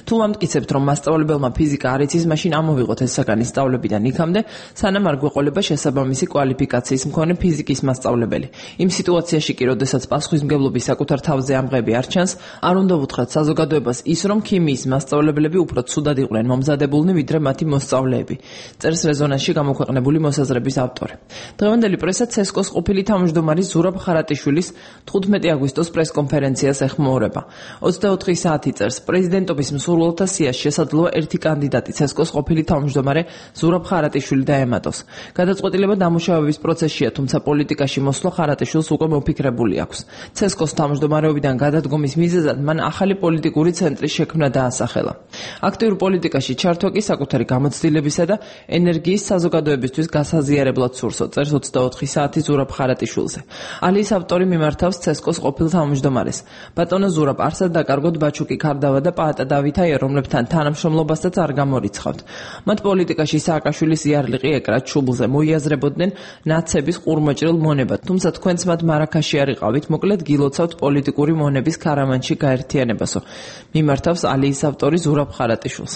[SPEAKER 3] თუ ამტკიცებთ, რომ მასწავლებელმა ფიზიკა არ იცის, მაშინ ამოვიღოთ ეს საგანი სწავლებიდან იქამდე, სანამ არ გვეყოლება შესაბამისი კვალიფიკაციის მქონე ფიზიკის მასწავლებელი. იმ სიტუაციაში კი, როდესაც პასუხისმგებლობის საკუთარ თავზე ამღები არ ჩანს, არ უნდა ვუთხრათ საზოგადოებას ის, რომ ქიმიის მასწავლებლები უფრო ცუდად იყვნენ მომზადებულნი, ვიდრე მათი მოსწავლეები. წერს რეზონანსში გამოქვეყნებული მოსაზრების ავტორი. დღევანდელი პრესა ცესკოს ყოფილი თავმჯდომარის ზურაბ ხარატიშვილის 15 აგვისტოს პრესკონფერენციას ეხმაურება. 24 საათი წერს, პრეზიდენტობის მსურველთა სიაში შესაძლოა ერთი კანდიდატი ცესკოს ყოფილი თავმჯდომარე ზურაბ ხარატიშვილი დაემატოს. გადაწყვეტილება დამუშავების პროცესშია, თუმცა პოლიტიკაში მოსვლა ხარატიშვილს უკვე მოფიქრებული აქვს. ცესკოს თავმჯდომარეობიდან გადადგომის მიზეზად მან ახალი პოლიტიკური ცენტრის შექმნა დაასახელა. აქტიურ პოლიტიკაში ჩართვა კი საკუთარი გამოცდილებისა და ენერგიის საზოგადოებისთვის გასაზიარებლად სურსო, წერს 24 საათი ზურაბ ხარატიშვილზე. ალიის ავტორი მიმართავს ცესკოს ყოფილ თავმჯდომარეს. ბატონო ზურაბ, არსად დაკარგოთ ბაჩუკი ქარდავა და პაატა დავითაია, რომლებთან თანამშრომლობასაც არ გამორიცხავთ. მათ პოლიტიკაში სააკაშვილის იარლიყი ეკრათ ჩუბლზე, მოიაზრებოდნენ ნაცების ყურმოჭრილ მონებად, თუმცა თქვენც მათ მარაქაში არ იყავით, მოკლედ გილოცავთ პოლიტიკური მონების ქარამანში გაერთიანებასო. მიმართავს ალიის ავტორი ზურაბ ხარატიშვილს.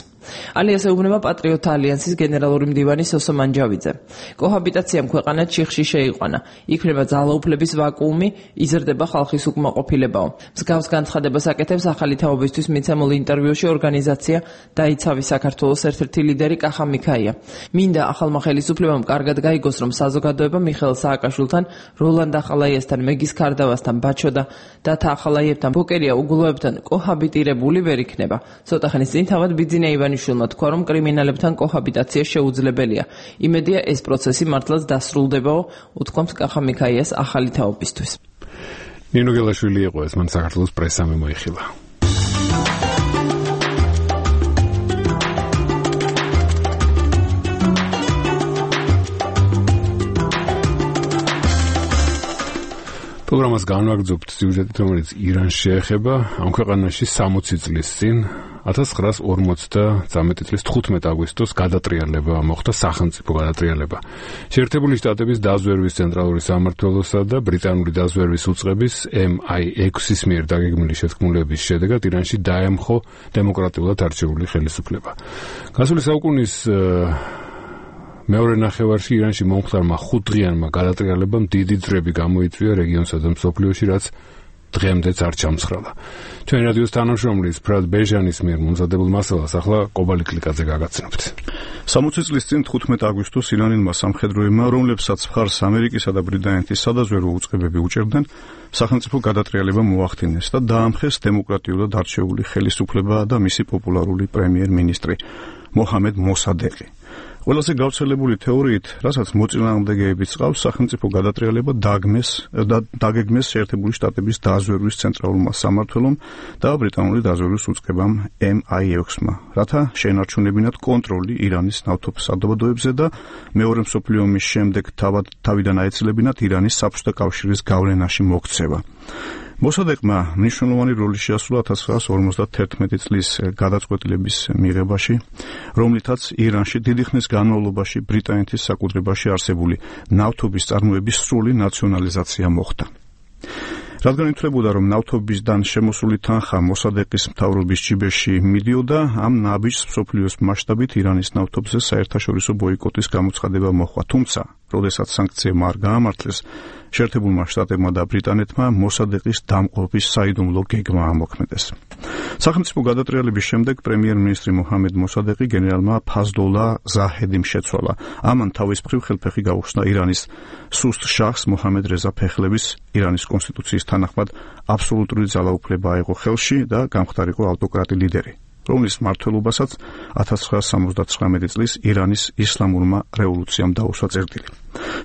[SPEAKER 3] ალიას ეუბნება პატრიოტთა ალიანსის გენერალური მდივანი სოსო მანჯავიძე. კოჰაბიტაციამ ქვეყანა ჩიხში შეიყვანა. იქმნება ძალაუფლების ვაკუუმი, იზრდება ხალხის უკმაყოფილებაო. მსგავს განცხადებას აკეთებს ახალი თაობისთვის მიცემულ ინტერვიუში ორგანიზაცია დაიცავი საქართველოს ერთ-ერთი ლიდერი კახა მიქაია. მინდა ახალმა ხელისუფლებამ კარგად გაიგოს, რომ საზოგადოება მიხეილ სააკაშვილთან, როლანდ ახალაიასთან, მეგის ქარდავასთან, ბაჩო და დათა ახალაიებთან, ბოკერია უგულოებთან კოჰაბიტირებული ვერ იქნება. ცოტა ხნის წინ თავად ბიძინა ივანიშვილმა თქვა, რომ კრიმინალებთან კოჰაბიტაცია შეუძლებელია. იმედია ეს პროცესი მართლაც დასრულდებაო, უთქვამს კახა მიქაიას ახალი თაობისთვის.
[SPEAKER 1] ნინო გელაშვილი იყო ეს, მან საქართველოს პრესამ მოიხილა. პროგრამას განვაგრძობთ სიუჟეტით, რომელიც ირანს შეეხება. ამ ქვეყანაში 60 წლის წინ 1950 წლის 15 აგვისტოს გადატრიალება მოხდა, სახელმწიფო გადატრიალება. შეერთებული შტატების დაზვერვის ცენტრალური სამმართველოსა და ბრიტანული დაზვერვის უწყების MI6-ის მიერ დაგეგმილი შეთქმულების შედეგად ირანში დაემხო დემოკრატიულად არჩეული ხელისუფლება. გასული საუკუნის მეორე ნახევარში ირანში მომხდარმა 5 დღიანმა გადატრიალებამ დიდი ძრები გამოიწვია რეგიონსა და მსოფლიოში, რაც დღემდეც არ ჩამცხრალა. ჩვენი რადიოს თანამშრომლის ფრად ბეჟანის მიერ მომზადებულ მასალას ახლა კობალი კლიკაძე გაგაცნობთ.
[SPEAKER 2] 60 წლის წინ 15 აგვისტოს ირანელმა სამხედროებმა, რომლებსაც მხარს ამერიკისა და ბრიტანეთის სადაზვერვო უწყებები უჭერდნენ, სახელმწიფო გადატრიალება მოახდინეს და დაამხეს დემოკრატიულად არჩეული ხელისუფლება და მისი პოპულარული პრემიერ-მინისტრი მოჰამედ მოსადეყი. ყველაზე გავრცელებული თეორიით, რასაც მოწინააღმდეგეებიც ყავს, სახელმწიფო გადატრიალება დაგეგმეს შეერთებული შტატების დაზვერვის ცენტრალურმა სამმართველომ და ბრიტანული დაზვერვის უწყებამ MI6-მა, რათა შეენარჩუნებინათ კონტროლი ირანის ნავთობის საზოგადოებებზე და მეორე მსოფლიო ომის შემდეგ თავიდან აეცილებინათ ირანის საბჭოთა კავშირის გავლენაში მოქცევა. მოსადეყმა მნიშვნელოვანი როლი შეასრულა 1951 წლის გადაწყვეტილების მიღებაში, რომლითაც ირანში დიდი ხნის განმავლობაში ბრიტანეთის საკუთრებაში არსებული ნავთობის წარმოების სრული ნაციონალიზაცია მოხდა. რადგან ითვლებოდა, რომ ნავთობისგან შემოსული თანხა მოსადეყის მთავრობის ჯიბეში მიდიოდა, ამ ნაბიჯს მსოფლიოს მასშტაბით ირანის ნავთობზე საერთაშორისო ბოიკოტის გამოცხადება მოჰყვა. თუმცა, როდესაც სანქციებმა არ გაამართლეს, შეერთებულმა შტატებმა და ბრიტანეთმა მოსადეყის დამყრობის საიდუმლო გეგმა ამოქმედეს. სახელმწიფო გადატრიალების შემდეგ პრემიერ-მინისტრი მოჰამედ მოსადეყი გენერალმა ფაზლოლა ზაჰედიმ შეცვალა. ამან თავის მხრივ ხელფეხი გაუხსნა ირანის სუსტ შაჰს მოჰამედ რეზა ფეხლევის ირანის კონსტიტუციის თანახმად აბსოლუტური ძალაუფლება აიღო ხელში და გამხდარიყო ავტოკრატი ლიდერი. რომლის მმართველობასაც 1979 წლის ირანის ისლამურმა რევოლუციამ დაუსვა წერტილი.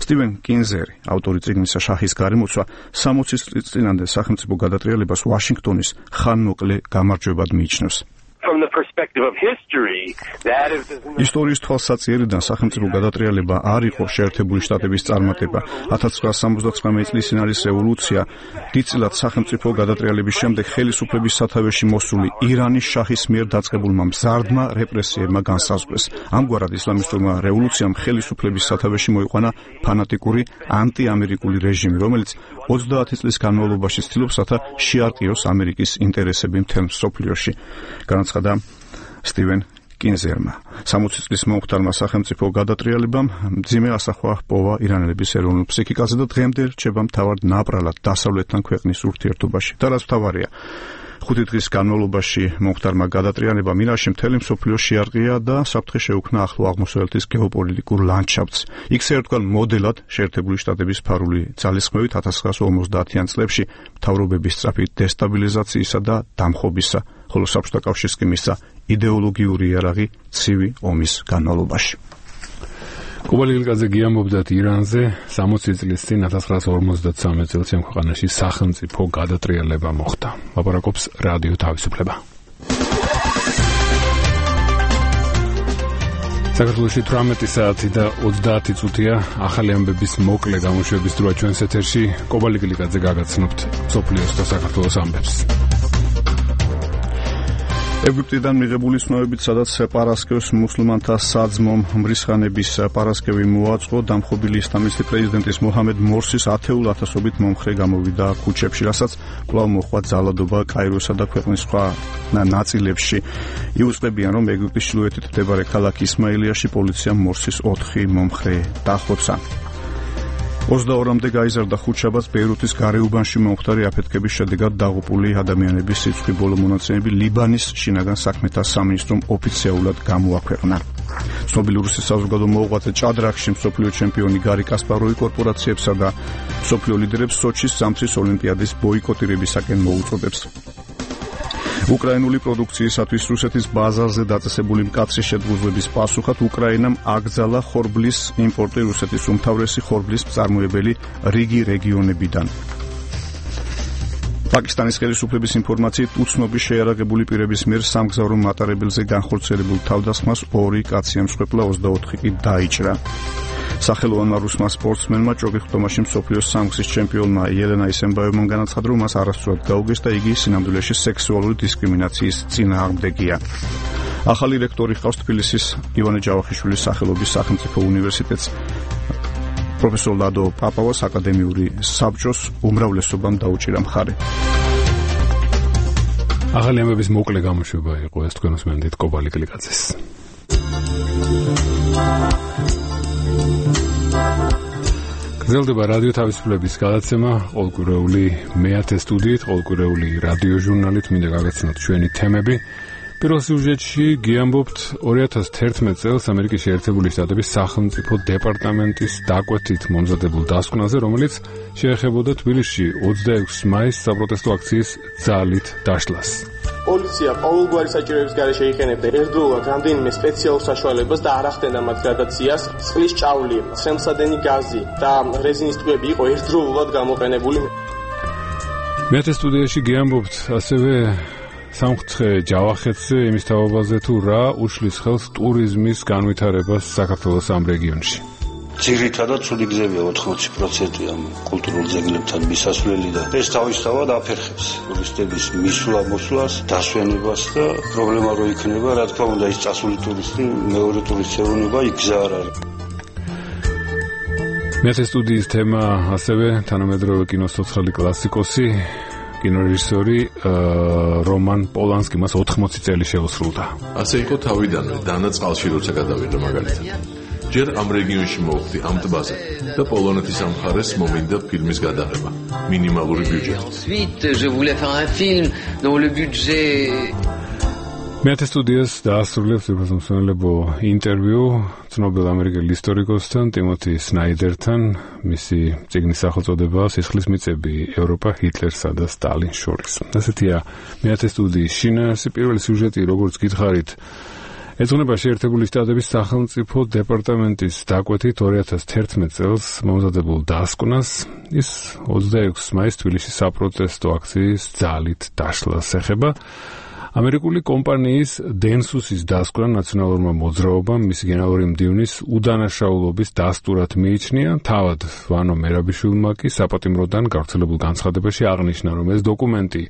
[SPEAKER 2] სტივენ კინზერი, ავტორი წიგნისა შაჰის გარემოცვა, 60 წლის წინამდე სახელმწიფო გადატრიალებას ვაშინგტონის ხანმოკლე გამარჯვებად მიიჩნევს. ისტორიის თვალსაჩინოდან სახელმწიფო გადატრიალება არ იყო შეერთებული შტატების წარმატება. 1979 წლის ირანის რევოლუცია დიდწილად სახელმწიფო გადატრიალების შემდეგ ხელისუფლების სათავეში მოსული ირანის შაჰის მიერ დაწყებულმა მზარდმა რეპრესიებმა განსაზღვრეს. ამგვარად ისლამისტურმა რევოლუციამ ხელისუფლების სათავეში მოიყვანა ფანატიკური ანტიამერიკული რეჟიმი, რომელიც 30 წლის განმავლობაში ცდილობსათა შეარყიოს ამერიკის ინტერესები მთელ მსოფლიოში. განაცხადა სტივენ კინზერმა. 60 წლის მომხდარმა სახელმწიფო გადატრიალებამ მძიმე ასახვა ჰპოვა ირანელების ეროვნულ ფსიქიკაზე და დღემდე რჩება მთავარ ნაპრალად დასავლეთთან ქვეყნის ურთიერთობაში. და რაც მთავარია, 5 დღის განმავლობაში მომხდარმა გადატრიალებამ ირანში მთელი მსოფლიო შეარყია და საფრთხე შეუქმნა ახლო აღმოსავლეთის გეოპოლიტიკურ ლანდშაფტს. იქ ერთგვარ მოდელად შეერთებული შტატების ფარული ძალისხმევით 1950-იან წლებში მთავრობების სწრაფი დესტაბილიზაციისა და დამხობისა, ხოლო საბჭოთა კავშირს კი მისცა იდეოლოგიური იარაღი ცივი ომის განმავლობაში.
[SPEAKER 1] კუბალი გილკაძე გიამბობდათ ირანზე 60 წლის წინ 1953 წელს ამ ქვეყანაში სახელმწიფო გადატრიალება მოხდა. ლაპარაკობს რადიო თავისუფლება. საქართველოში 18 საათი და 30 წუთია ახალი ამბების მოკლე გამოშვების დროა ჩვენს ეთერში. კუბალი გილკაძე გაგაცნობთ სოფლიოს და საქართველოს ამბებს. ეგვიპტიდან მიღებული ცნობებით, სადაც პარასკევს მუსლიმანთა საძმომ მრისხანების პარასკევი მოაწყო, დამხობილი ისლამისტი პრეზიდენტის მოჰამედ მორსის ათეულ ათასობით მომხრე გამოვიდა ქუჩებში, რასაც კვლავ მოჰყვა ძალადობა კაიროსა და ქვეყნის სხვა ნაწილებში. იუწყებიან, რომ ეგვიპტის ჩრდილოეთით მდებარე ქალაქ ისმაილიაში პოლიციამ მორსის 4 მომხრე დახვეწა. 22-მდე გაიზარდა ხუთშაბათს ბეირუთის გარეუბანში მომხდარი აფეთქების შედეგად დაღუპული ადამიანების სიცხი. ბოლო მონაცემები ლიბანის შინაგან საქმეთა სამინისტრომ ოფიციალურად გამოაქვეყნა. ცნობილი რუსეთის საზოგადო მოღვაწე ჭადრაკში მსოფლიო ჩემპიონი გარი კასპაროვი კორპორაციებსა და მსოფლიო ლიდერებს სოჩის ზამთრის ოლიმპიადის ბოიკოტირებისაკენ მოუწოდებს. უკრაინული პროდუქციისათვის რუსეთის ბაზარზე დაწესებული მკაცრი შედგუზვების პასუხად უკრაინამ აკრძალა ხორბლის იმპორტი რუსეთის უმთავრესი ხორბლის მწარმოებელი რიგი რეგიონებიდან. პაკისტანის ხელისუფლების ინფორმაციით უცნობი შეიარაღებული პირების მიერ სამგზავრო მატარებელზე განხორციელებულ თავდასხმას 2 კაცი ემსხვერპლა, 24 კი დაიჭრა. სახელოვანმა რუსმა სპორტსმენმა ჭოქი-ხტომაში მსოფლიოს სამგზის ჩემპიონმა ელენა ისენბაევმა განაცხადა, რომ მას არასწორად გაუგეს და იგი სინამდვილეში სექსუალური დისკრიმინაციის წინააღმდეგია. ახალი რექტორი ჰყავს თბილისის ივანე ჯავახიშვილის სახელობის სახელმწიფო უნივერსიტეტს. პროფესორ ლადო პაპავას აკადემიური საბჭოს უმრავლესობამ დაუჭირა მხარი. ახალი ამბების მოკლე გამოშვება იყო ეს თქვენ უსმენთ კობალი გლიკაძეს. გრძელდება რადიო თავისუფლების გადაცემა ყოველკვირეული მე-10 სტუდიით, ყოველკვირეული რადიო ჟურნალით. მინდა გაგაცნოთ ჩვენი თემები. პირველ სიუჟეტში გიამბობთ 2011 წელს ამერიკის შეერთებული შტატების სახელმწიფო დეპარტამენტის დაკვეთით მომზადებულ დასკვნაზე, რომელიც შეეხებოდა თბილისში 26 მაისს საპროტესტო აქციის ძალით დაშლას.
[SPEAKER 7] პოლიცია ყოველგვარი საჭიროების გარეშე იყენებდა ერთდროულად რამდენიმე სპეციალურ საშუალებას და არ ახდენდა მათ გრადაციას. წყლის ჭავლი, ცხელმსადენი გაზი და რეზინის ტბები იყო ერთდროულად გამოყენებული.
[SPEAKER 1] მე-10 სტუდიაში გიამბობთ ასევე სამხთხე ჯავახეთზე, იმის თაობაზე თუ რა უშლის ხელს ტურიზმის განვითარებას საქართველოს ამ რეგიონში.
[SPEAKER 22] ძირითადად ცუდი გზებია 80% ამ კულტურულ ძეგლებთან მისასვლელი და ეს თავისთავად აფერხებს ტურისტების მისვლა-მოსვლას, დასვენებას და პრობლემა რო იქნება, რა თქმა უნდა, ის წასული ტურისტი მეორე ტურისტს ეუბნება, იქ გზა არ არის.
[SPEAKER 1] მე-10 სტუდიის თემა ასევე თანამედროვე კინოს ცოცხალი კლასიკოსი კინორეჟისორი რომან პოლანსკი, მას 80 წელი შეუსრულდა.
[SPEAKER 5] ასე იყო თავიდანვე, დანა წყალში როცა გადავიდა მაგალითად. ჯერ ამ რეგიონში მოვხდი ამ ტბაზე და პოლონეთის ამ მხარეს მომინდა ფილმის გადაღება მინიმალური ბიუჯეტით.
[SPEAKER 1] მეათე სტუდიას დაასრულებს უბრალოდ ინტერვიუ ცნობილ ამერიკელ ისტორიკოსთან ტიმოთი სნაიდერთან. მისი წიგნის სახელწოდებაა სისხლის მიწები ევროპა ჰიტლერსა და სტალინს შორის. ასეთია მეათე სტუდიის შინაარსი. პირველი სიუჟეტი, როგორც გითხარით, ეძღვნება შეერთებული შტატების სახელმწიფო დეპარტამენტის დაკვეთით 2011 წელს მომზადებულ დასკვნას. ის 26 მაისს თბილისში საპროტესტო აქციის ძალით დაშლას ეხება. ამერიკული კომპანიის დენსუსის დასკვნა ნაციონალურმა მოძრაობამ მისი გენერალური მდივნის უდანაშაულობის დასტურად მიიჩნია. თავად ვანო მერაბიშვილმა კი საპატიმროდან გავრცელებულ განცხადებაში აღნიშნა, რომ ეს დოკუმენტი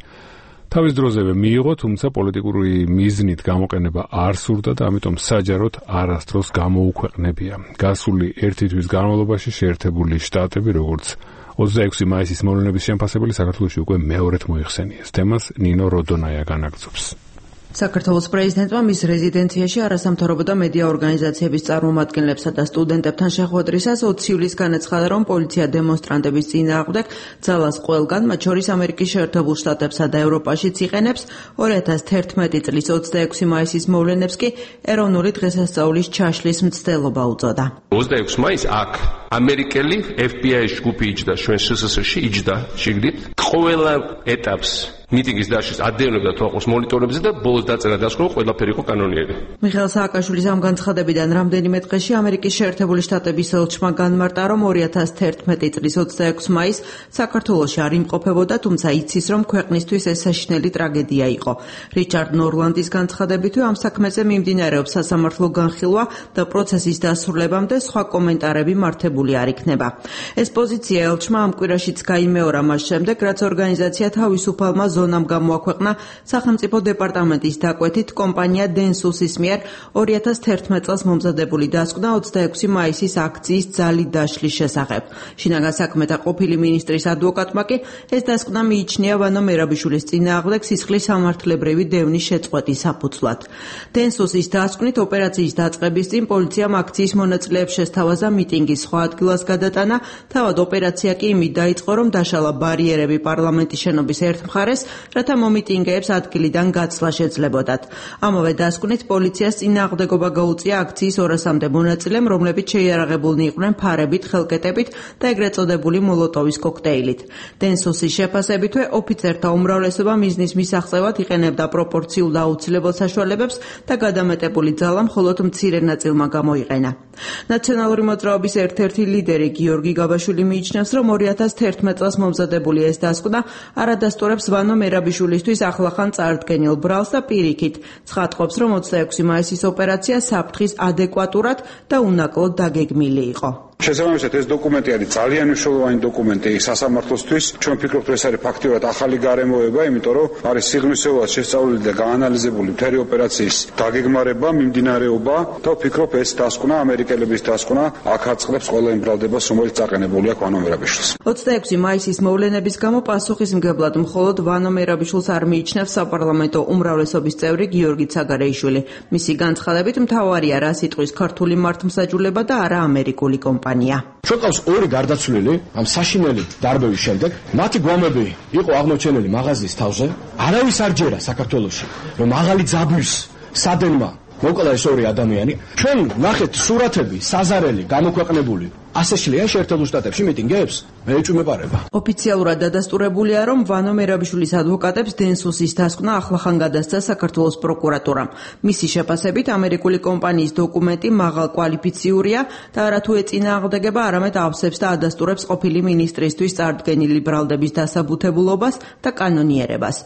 [SPEAKER 1] თავის დროზევე მიიღო, თუმცა პოლიტიკური მიზნით გამოყენება არ სურდა და ამიტომ საჯაროდ არასდროს გამოუქვეყნებია. გასული ერთი თვის განმავლობაში შეერთებული შტატები, როგორც 26 მაისის მოვლენების შემფასებელი, საქართველოში უკვე მეორედ მოიხსენიეს. თემას ნინო როდონაია განაგრძობს.
[SPEAKER 3] საქართველოს პრეზიდენტმა მის რეზიდენციაში არასამთავრობო და მედია ორგანიზაციების წარმომადგენლებსა და სტუდენტებთან შეხვედრისას 20 ივლისს განაცხადა, რომ პოლიცია დემონსტრანტების წინააღმდეგ ძალას ყველგან, მათ შორის ამერიკის შეერთებულ შტატებსა და ევროპაშიც იყენებს. 2011 წლის 26 მაისის მოვლენებს კი ეროვნული დღესასწაულის ჩაშლის მცდელობა უწოდა.
[SPEAKER 6] 26 მაისს აქ ამერიკელი FBI-ის ჯგუფი იჯდა ჩვენ SSSR-ში, იჯდა შიგნით ყველა ეტაპს მიტინგის დაშლის ადევნებდა თვალყურს მონიტორებზე და ბოლოს დაწერა დასკვნა, ყველაფერი იყო კანონიერი.
[SPEAKER 3] მიხეილ სააკაშვილის ამ განცხადებიდან რამდენიმე დღეში ამერიკის შეერთებული შტატების ელჩმა განმარტა, რომ 2011 წლის 26 მაისს საქართველოში არ იმყოფებოდა, თუმცა იცის, რომ ქვეყნისთვის ეს საშინელი ტრაგედია იყო. რიჩარდ ნორლანდის განცხადებითვე ამ საქმეზე მიმდინარეობს სასამართლო განხილვა და პროცესის დასრულებამდე სხვა კომენტარები მართებული არ იქნება. ეს პოზიცია ელჩმა ამ კვირაშიც გაიმეორა მას შემდეგ, რაც ორგანიზაცია თავისუფალმა ზონამ გამოაქვეყნა სახელმწიფო დეპარტამენტის დაკვეთით კომპანია დენსუსის მიერ 2011 წელს მომზადებული დასკვნა 26 მაისის აქციის ძალით დაშლის შესახებ. შინაგან საქმეთა ყოფილი მინისტრის ადვოკატმა კი ეს დასკვნა მიიჩნია ვანო მერაბიშვილის წინააღმდეგ სისხლის სამართლებრივი დევნის შეწყვეტის საფუძვლად. დენსუსის დასკვნით ოპერაციის დაწყების წინ პოლიციამ აქციის მონაწილეებს შესთავაზა მიტინგის სხვა ადგილას გადატანა. თავად ოპერაცია კი იმით დაიწყო, რომ დაშალა ბარიერები პარლამენტის შენობის ერთ მხარეს, რათა მომიტინგეებს ადგილიდან გაცლა შეძლებოდათ. ამავე დასკვნით პოლიციას წინააღმდეგობა გაუწია აქციის 200-მდე მონაწილემ, რომლებიც შეიარაღებულნი იყვნენ ფარებით, ხელკეტებით და ეგრეთ წოდებული მოლოტოვის კოქტეილით. დენსუსის შეფასებითვე ოფიცერთა უმრავლესობა მიზნის მისაღწევად იყენებდა პროპორციულ და აუცილებელ საშუალებებს და გადამეტებული ძალა მხოლოდ მცირე ნაწილმა გამოიყენა. ნაციონალური მოძრაობის ერთ-ერთი ლიდერი გიორგი გაბაშვილი მიიჩნევს, რომ 2011 წელს მომზადებული ეს დასკვნა არადასტურებს ვანო მერაბიშვილისთვის ახლახან წარდგენილ ბრალს და პირიქით ცხადყოფს, რომ 26 მაისის ოპერაცია საფრთხის ადეკვატურად და უნაკლოდ დაგეგმილი იყო.
[SPEAKER 9] შესაბამისად ეს დოკუმენტი არის ძალიან მნიშვნელოვანი დოკუმენტი სასამართლოსთვის. ჩვენ ვფიქრობთ, რომ ეს არის ფაქტიურად ახალი გარემოება, იმიტომ რომ არის სიღრმისეულად შესწავლილი და გაანალიზებული მთელი ოპერაციის დაგეგმარება, მიმდინარეობა და ვფიქრობ, ეს დასკვნა, ამერიკელების დასკვნა, აქ აწყდებს ყველა იმ ბრალდებას, რომელიც წაყენებული აქვს ვანო მერაბიშვილს.
[SPEAKER 3] 26 მაისის მოვლენების გამო პასუხისმგებლად მხოლოდ ვანო მერაბიშვილს არ მიიჩნევს საპარლამენტო უმრავლესობის წევრი გიორგი ცაგარეიშვილი. მისი განცხადებით მთავარია რა სიტყვის ქართული მართლმსაჯულება და არა ამერიკული კომპანია.
[SPEAKER 23] ჩვენ ყავს ორი გარდაცვლილი ამ საშინელი დარბევის შემდეგ. მათი გვამები იყო აღმოჩენილი მაღაზიის თავზე. არავის არ ჯერა საქართველოში, რომ მაღალი ძაბვის სადენმა მოკლა ეს ორი ადამიანი. ჩვენ ნახეთ სურათები, საზარელი, გამოქვეყნებული. ასე შლიან შეერთებულ შტატებში მიტინგებს? მე ეჭვმეპარება.
[SPEAKER 3] ოფიციალურად დადასტურებულია, რომ ვანო მერაბიშვილის ადვოკატებს დენსუსის დასკვნა ახლახან გადასცა საქართველოს პროკურატურამ. მისი შეფასებით ამერიკული კომპანიის დოკუმენტი მაღალ კვალიფიციურია და არათუ ეწინააღმდეგება, არამედ ავსებს და ადასტურებს ყოფილი მინისტრისთვის წარდგენილი ბრალდების დასაბუთებულობას და კანონიერებას.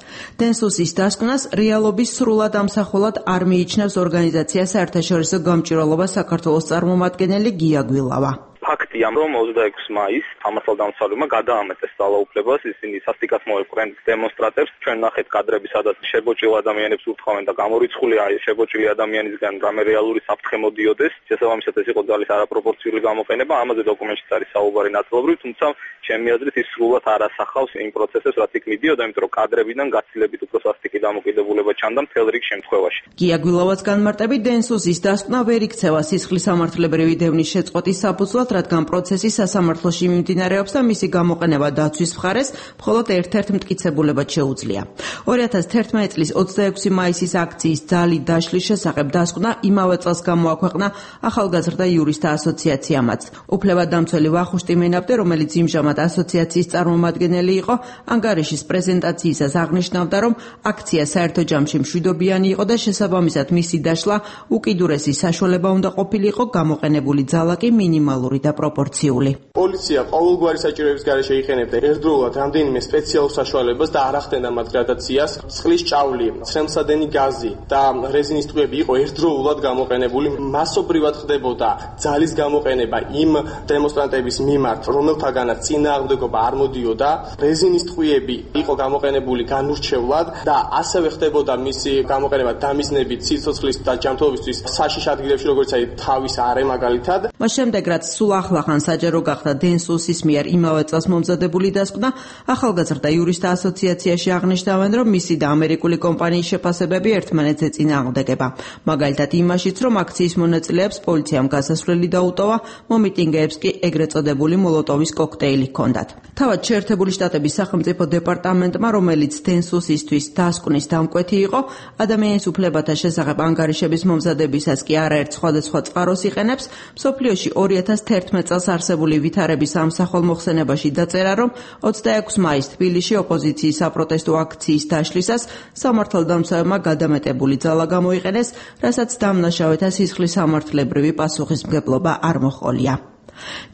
[SPEAKER 3] დენსუსის დასკვნას რეალობის სრულად ამსახველად არ მიიჩნევს ორგანიზაცია საერთაშორისო გამჭვირვალობას საქართველოს წარმომადგენელი გია გვილავა.
[SPEAKER 24] ფაქტია, რომ 26 მაისს სამართალდამცავებმა გადაამეტეს ძალაუფლებას, ისინი სასტიკად მოეპყრნენ დემონსტრანტებს. ჩვენ ნახეთ კადრები, სადაც შებოჭილ ადამიანებს ურთხოვენ და გამორიცხული შებოჭილი ადამიანისგან რამე რეალური საფრთხე მოდიოდეს. შესაბამისად ეს იყო ძალის არაპროპორციული გამოყენება, ამაზე დოკუმენტშიც არის საუბარი ნაწილობრივ, თუმცა ჩემი აზრით ის სრულად არ ასახავს იმ პროცესებს, რაც იქ მიდიოდა, იმიტომ რომ კადრებიდან გაცილებით უფრო სასტიკი დამოკიდებულება ჩანდა მთელ რიგ შემთხვევაში.
[SPEAKER 3] გია გვილავას განმარტებით, დენსუსის დასკვნა ვერ იქცევა სისხლის სამართლებრივი დევნის შეწყვეტის საფუძვლად, რადგან
[SPEAKER 8] ამ პროცესი სასამართლოში მიმდინარეობს და მისი გამოყენება დაცვის მხარეს მხოლოდ ერთ-ერთ მტკიცებულებად შეუძლია. 2011 წლის 26 მაისის აქციის ძალი დაშლის შესახებ დასკვნა იმავე წელს გამოაქვეყნა ახალგაზრდა იურისტთა ასოციაციამაც. უფლებადამცველი ვახუშტი მენაბდე, რომელიც იმჟამად ასოციაციის წარმომადგენელი იყო, ანგარიშის პრეზენტაციისას აღნიშნავდა, რომ აქცია საერთო ჯამში მშვიდობიანი იყო და შესაბამისად მისი დაშლა უკიდურესი საშუალება უნდა ყოფილიყო, გამოყენებული ძალა კი მინიმალური და პროპორციული.
[SPEAKER 7] პოლიცია ყოველგვარი საჭიროების გარეშე იყენებდა ერთდროულად რამდენიმე სპეციალურ საშუალებას და არ ახდენდა მათ გრადაციას. წყლის ჭავლი, ცხენსადენი გაზი და რეზინის ტყვიები იყო ერთდროულად გამოყენებული. მასობრივად ხდებოდა ძალის გამოყენება იმ დემონსტრანტების მიმართ, რომელთაგანაც წინააღმდეგობა არ მოდიოდა. რეზინის ტყვიები იყო გამოყენებული განურჩევლად და ასევე ხდებოდა მისი გამოყენება დამიზნებით სიცოცხლის და ჯანმრთელობისთვის საშიშ ადგილებში, როგორც აი თავის არე მაგალითად.
[SPEAKER 8] მას შემდეგ, რაც სულ ახლახან საჯარო გახდა დენ სუსის მიერ იმავე წელს მომზადებული დასკვნა, ახალგაზრდა იურისტთა ასოციაციაში აღნიშნავენ, რომ მისი და ამერიკული კომპანიის შეფასებები ერთმანეთზე წინააღმდეგება. მაგალითად იმაშიც, რომ აქციის მონაწილეებს პოლიციამ გასასვლელი დაუტოვა, მომიტინგეებს კი ეგრეთ წოდებული მოლოტოვის კოქტეილი ჰქონდათ. თავად შეერთებული შტატების სახელმწიფო დეპარტამენტმა, რომელიც დენ სუსისთვის დასკვნის დამკვეთი იყო, ადამიანის უფლებათა შესახებ ანგარიშების მომზადებისას კი არაერთ სხვადასხვა წყაროს იყენებს. მსოფლიოში 2011 წელს არსებული ვითარების ამსახველ მოხსენებაში დაწერა, რომ 26 მაისს თბილისში ოპოზიციის საპროტესტო აქციის დაშლისას სამართალდამცავებმა გადამეტებული ძალა გამოიყენეს, რასაც დამნაშავეთა სისხლის სამართლებრივი პასუხისმგებლობა არ მოჰყოლია.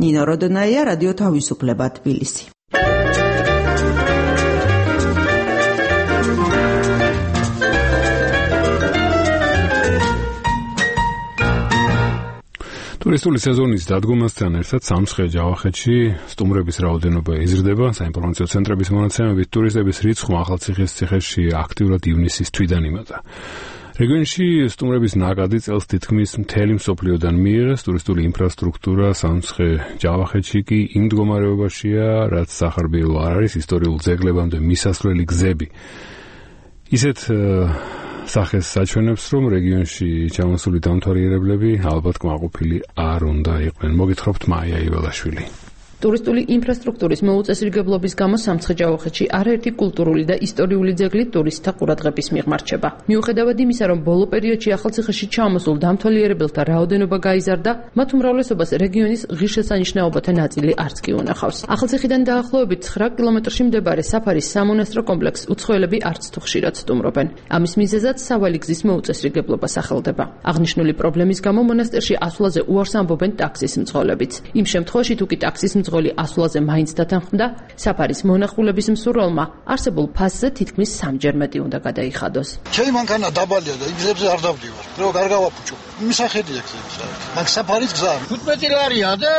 [SPEAKER 8] ნინო როდონაია, რადიო თავისუფლება, თბილისი.
[SPEAKER 1] ტურისტული სეზონის დადგომასთან ერთად სამცხე ჯავახეთში სტუმრების რაოდენობა იზრდება. საინფორმაციო ცენტრების მონაცემებით ტურისტების რიცხვმა ახალციხის-ციხეში აქტიურად ივნისის თვიდან იმატა. რეგიონში სტუმრების ნაკადი წელს თითქმის მთელი მსოფლიოდან მიიღეს. ტურისტული ინფრასტრუქტურა სამცხე ჯავახეთში კი იმ მდგომარეობაშია, რაც სახარბიელო არ არის, ისტორიულ ძეგლებამდე მისასვლელი გზები. ისეთ სახეს საჩვენებს, რომ რეგიონში ჩამოსული დამთვალიერებლები ალბათ კმაყოფილი არ უნდა იყვნენ. მოგითხრობთ მაია იველაშვილი.
[SPEAKER 3] ტურისტული ინფრასტრუქტურის მოუწესრიგებლობის გამო სამცხე-ჯავახეთში არაერთი კულტურული და ისტორიული ძეგლი ტურისტთა ყურადღების მიღმა რჩება. მიუხედავად იმისა, რომ ბოლო პერიოდში ახალციხეში ჩამოსულ დამთვალიერებელთა რაოდენობა გაიზარდა, მათ უმრავლესობას რეგიონის ღირსშესანიშნაობათა ნაწილი არც კი უნახავს. ახალციხიდან დაახლოებით 9 კილომეტრში მდებარე საფარის სამონასტრო კომპლექსს უცხოელები არც თუ ხშირად სტუმრობენ. ამის მიზეზად სავალი გზის მოუწესრიგებლობა სახელდება. აღნიშნული პრობლემის გამო მონასტერში ასვლაზე უარს ამბობენ ტაქსის მძღოლებიც. იმ შემთხვევაში თუ კი ტაქსის მძღოლი ასვლაზე მაინც დათანხმდა, საფარის მონახულების მსურველმა არსებულ ფასზე თითქმის 3-ჯერ მეტი უნდა გადაიხადოს.
[SPEAKER 10] ჩემი მანქანა დაბალია და გზებზე არ დავდივარ. რო არ გავაფუჭო. მისახედია გზებზე. მაგ საფარის გზა 15 ლარია და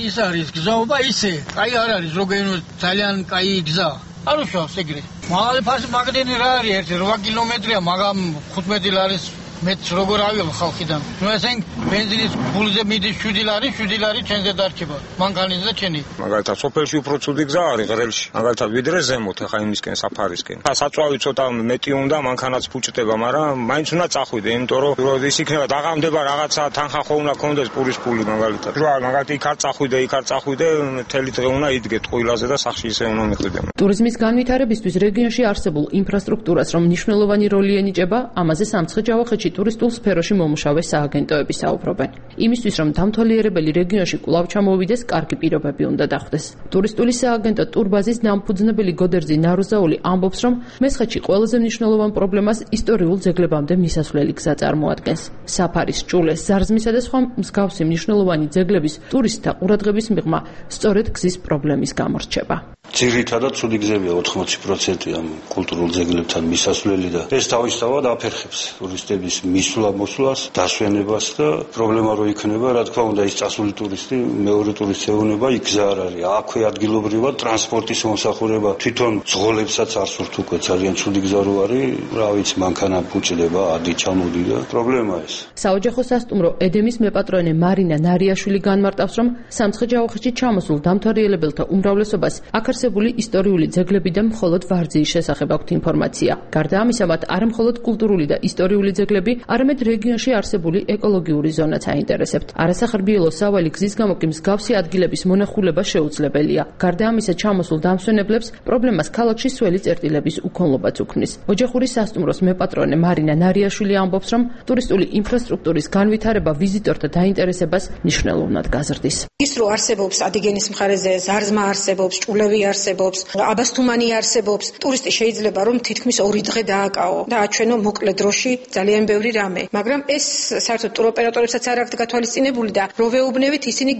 [SPEAKER 10] ის არის გზაობა ისე. კაი არ არის ზოგადად ძალიან კაი გზა. არ უშავს ეგრე. მაღალი ფასი მაგდენი რა არის 8 კილომეტრია, მაგრამ 15 ლარის მეც როგორ ავიღო ხალხიდან. ნუ ესენ ბენზინის ფულზე მიდის 7 ლარი, 7 ლარი ჩვენზე დარჩება. მანქანის და ჩენი.
[SPEAKER 11] მაგალითად, სოფელში უფრო ცუდი გზა არის ღრელში. მაგალითად, ვიდრე ზემოთ, ახლა იმისკენ საფარისკენ. საწვავი ცოტა მეტი უნდა, მანქანაც ფუჭდება, მაგრამ მაინც უნდა წახვიდე, იმიტომ რომ ის იქნება დაღამდება რაღაცა თანხა ხო უნდა კონდეს პურის ფული მაგალითად. რა, მაგალითად, იქ არ წახვიდე, მთელი დღე უნდა იდგე ტყუილაზე და სახში ისე უნდა მიხვიდე.
[SPEAKER 3] ტურიზმის განვითარებისთვის რეგიონში არსებულ ინფრასტრუქტურას რომ მნიშვნელოვანი როლი ენიჭება, ამაზე სამცხე-ჯავახეთში ტურისტულ სფეროში მომუშავე სააგენტოები საუბრობენ. იმისთვის, რომ დამთვალიერებელი რეგიონში კვლავ ჩამოვიდეს, კარგი პირობები უნდა დახვდეს. ტურისტული სააგენტო ტურბაზის დამფუძნებელი გოდერძი ნაროზაული ამბობს, რომ მესხეთში ყველაზე მნიშვნელოვან პრობლემას ისტორიულ ძეგლებამდე მისასვლელი გზა წარმოადგენს. საფარის, ჭულეს, ზარზმისა და სხვა მსგავსი მნიშვნელოვანი ძეგლების ტურისტთა ყურადღების მიღმა სწორედ გზის პრობლემის გამო რჩება.
[SPEAKER 22] ძირითადად ცუდი გზებია 80% ამ კულტურულ ძეგლებთან მისასვლელი და ეს თავისთავად აფერხებს ტურისტების მისვლა-მოსვლას, დასვენებას და პრობლემა რო იქნება, რა თქმა უნდა, ის წასული ტურისტი მეორე ტურისტს ეუნება, იქ გზა არ არის. აქვე ადგილობრივად ტრანსპორტის მომსახურება თვითონ ძღოლებსაც არ სურთ უკვე ძალიან ცუდი გზა რო არის, რა ვიცი, მანქანა ფუჭდება, ადი ჩამოდი და პრობლემა ეს.
[SPEAKER 3] საოჯახო სასტუმრო ედემის მეპატრონე მარინა ნარიაშვილი განმარტავს, რომ სამცხე-ჯავახეთში ჩამოსულ დამთვალიერებელთა უმრავლესობას აქ არსებული ისტორიული ძეგლები და მხოლოდ ვარძიის შესახებ აქვთ ინფორმაცია. გარდა ამისა, მათ არა მხოლოდ კულტურული და ისტორიული ძეგლები, არამედ რეგიონში არსებული ეკოლოგიური ზონაც აინტერესებთ. არასახარბიელო სავალი გზის გამო კი მსგავსი ადგილების მონახულება შეუძლებელია. გარდა ამისა, ჩამოსულ დამსვენებლებს პრობლემას ქალაქში სველი წერტილების უკონლობაც უქმნის. ოჯახური სასტუმროს მეპატრონე მარინა ნარიაშვილი ამბობს, რომ ტურისტული ინფრასტრუქტურის განვითარება ვიზიტორთა დაინტერესებას მნიშვნელოვნად გაზრდის.
[SPEAKER 12] ის რო არსებობს ადიგენის მხარეზე ზარზმა არსებობს, ჭულევი არსებობს, აბასთუმანი არსებობს, ტურისტი შეიძლება რომ თითქმის 2 დღე დააკაო და აჩვენო მოკლე დროში ძალიან ბევრი რამე. მაგრამ ეს საერთოდ ტუროპერატორებსაც არ აქვთ გათვალისწინებული და რო ვეუბნებით ისინი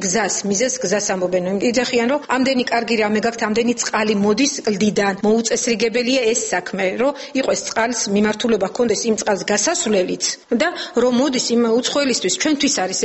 [SPEAKER 12] მიზეზ გზას ამბობენ. იძახიან რომ ამდენი კარგი რამე გაქვთ, ამდენი წყალი მოდის კლდიდან. მოუწესრიგებელია ეს საქმე, რომ იყოს წყალს მიმართულება ჰქონდეს იმ წყალს გასასვლელიც და რომ მოდის იმ უცხოელისთვის ჩვენთვის არის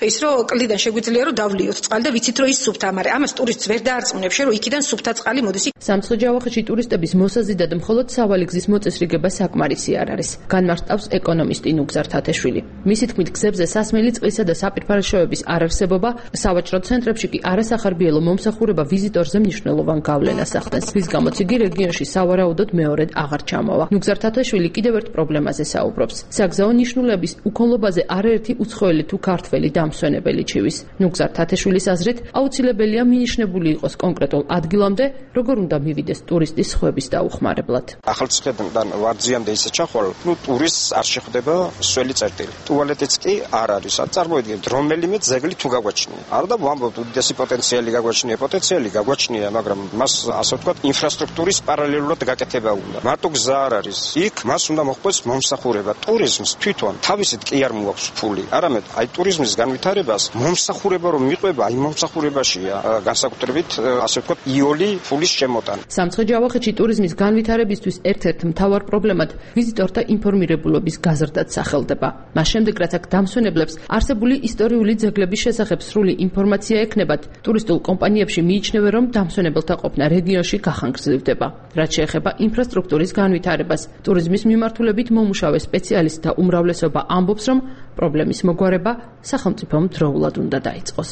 [SPEAKER 12] ის რომ კლდიდან შეგვიძლია რომ დავლიოთ წყალი და ვიცით რომ ის სუფთა, მაგრამ ამას ტურისტს ვერ დაარწმუნებს, რომ იქიდან სუფთა წყალი მოდის.
[SPEAKER 3] სამცხე-ჯავახეთში ტურისტების მოსაზიდად მხოლოდ სავალი გზის მოწესრიგება საკმარისი არ არის. განმარტავს ეკონომისტი ნუგზარ თათეშვილი. მისი თქმით, გზებზე სასმელი წყლისა და საპირფარეშოების არარსებობა, სავაჭრო ცენტრებში კი არასახარბიელო მომსახურება ვიზიტორზე მნიშვნელოვან გავლენას ახდენს. რის გამოც იგი რეგიონში სავარაუდოდ მეორედ აღარ ჩამოვა. ნუგზარ თათეშვილი კიდევ ერთ პრობლემაზე საუბრობს. საგზაო ნიშნულების უკონლობაზე არაერთი უცხოელი თუ ქართველი დამსვენებელი ჩივის. ნუგზარ თათეშვილის აზრით, აუცილებელია მინიშნებული იყოს კონკრეტულ ადგილამდე, როგორ უნდა მივიდეს ტურისტის ხვების დაუხმარებლად.
[SPEAKER 11] ახალციხედან ვარძიამდე ისე ჩახვალ, ტურისტს არ შეხვდება სველი წერტილი. ტუალეტიც კი არ არის. წარმოიდგინეთ, რომელიმე ძეგლი თუ გაგვაჩნია. არ და ვამბობთ, უდიდესი პოტენციალი გაგვაჩნია, მაგრამ მას ასე ვთქვათ, ინფრასტრუქტურის პარალელურად გაკეთება უნდა. მარტო გზა არ არის. იქ მას უნდა მოხდეს მომსახურება. ტურიზმს თვითონ თავისით კი არ მოაქვს ფული. არამედ აი ტურიზმის განვითარებას მომსახურება რომ მიყვება, აი მომსახურებაშია განსაკუთრებით ასე ვთქვათ, იოლი ფულის შემოტანა.
[SPEAKER 3] სამცხე-ჯავახეთში ტურიზმის განვითარებისთვის ერთ-ერთ მთავარ პრობლემად ვიზიტორთა ინფორმირებულობის გაზრდაც სახელდება. მას შემდეგ, რაც აქ დამსვენებლებს არსებული ისტორიული ძეგლების შესახებ სრული ინფორმაცია ექნებათ, ტურისტულ კომპანიებში მიიჩნევენ, რომ დამსვენებელთა ყოფნა რეგიონში გახანგრძლივდება. რაც შეეხება ინფრასტრუქტურის განვითარებას, ტურიზმის მიმართულებით მომუშავე სპეციალისტთა უმრავლესობა ამბობს, რომ პრობლემის მოგვარება სახელმწიფომ დროულად უნდა დაიწყოს.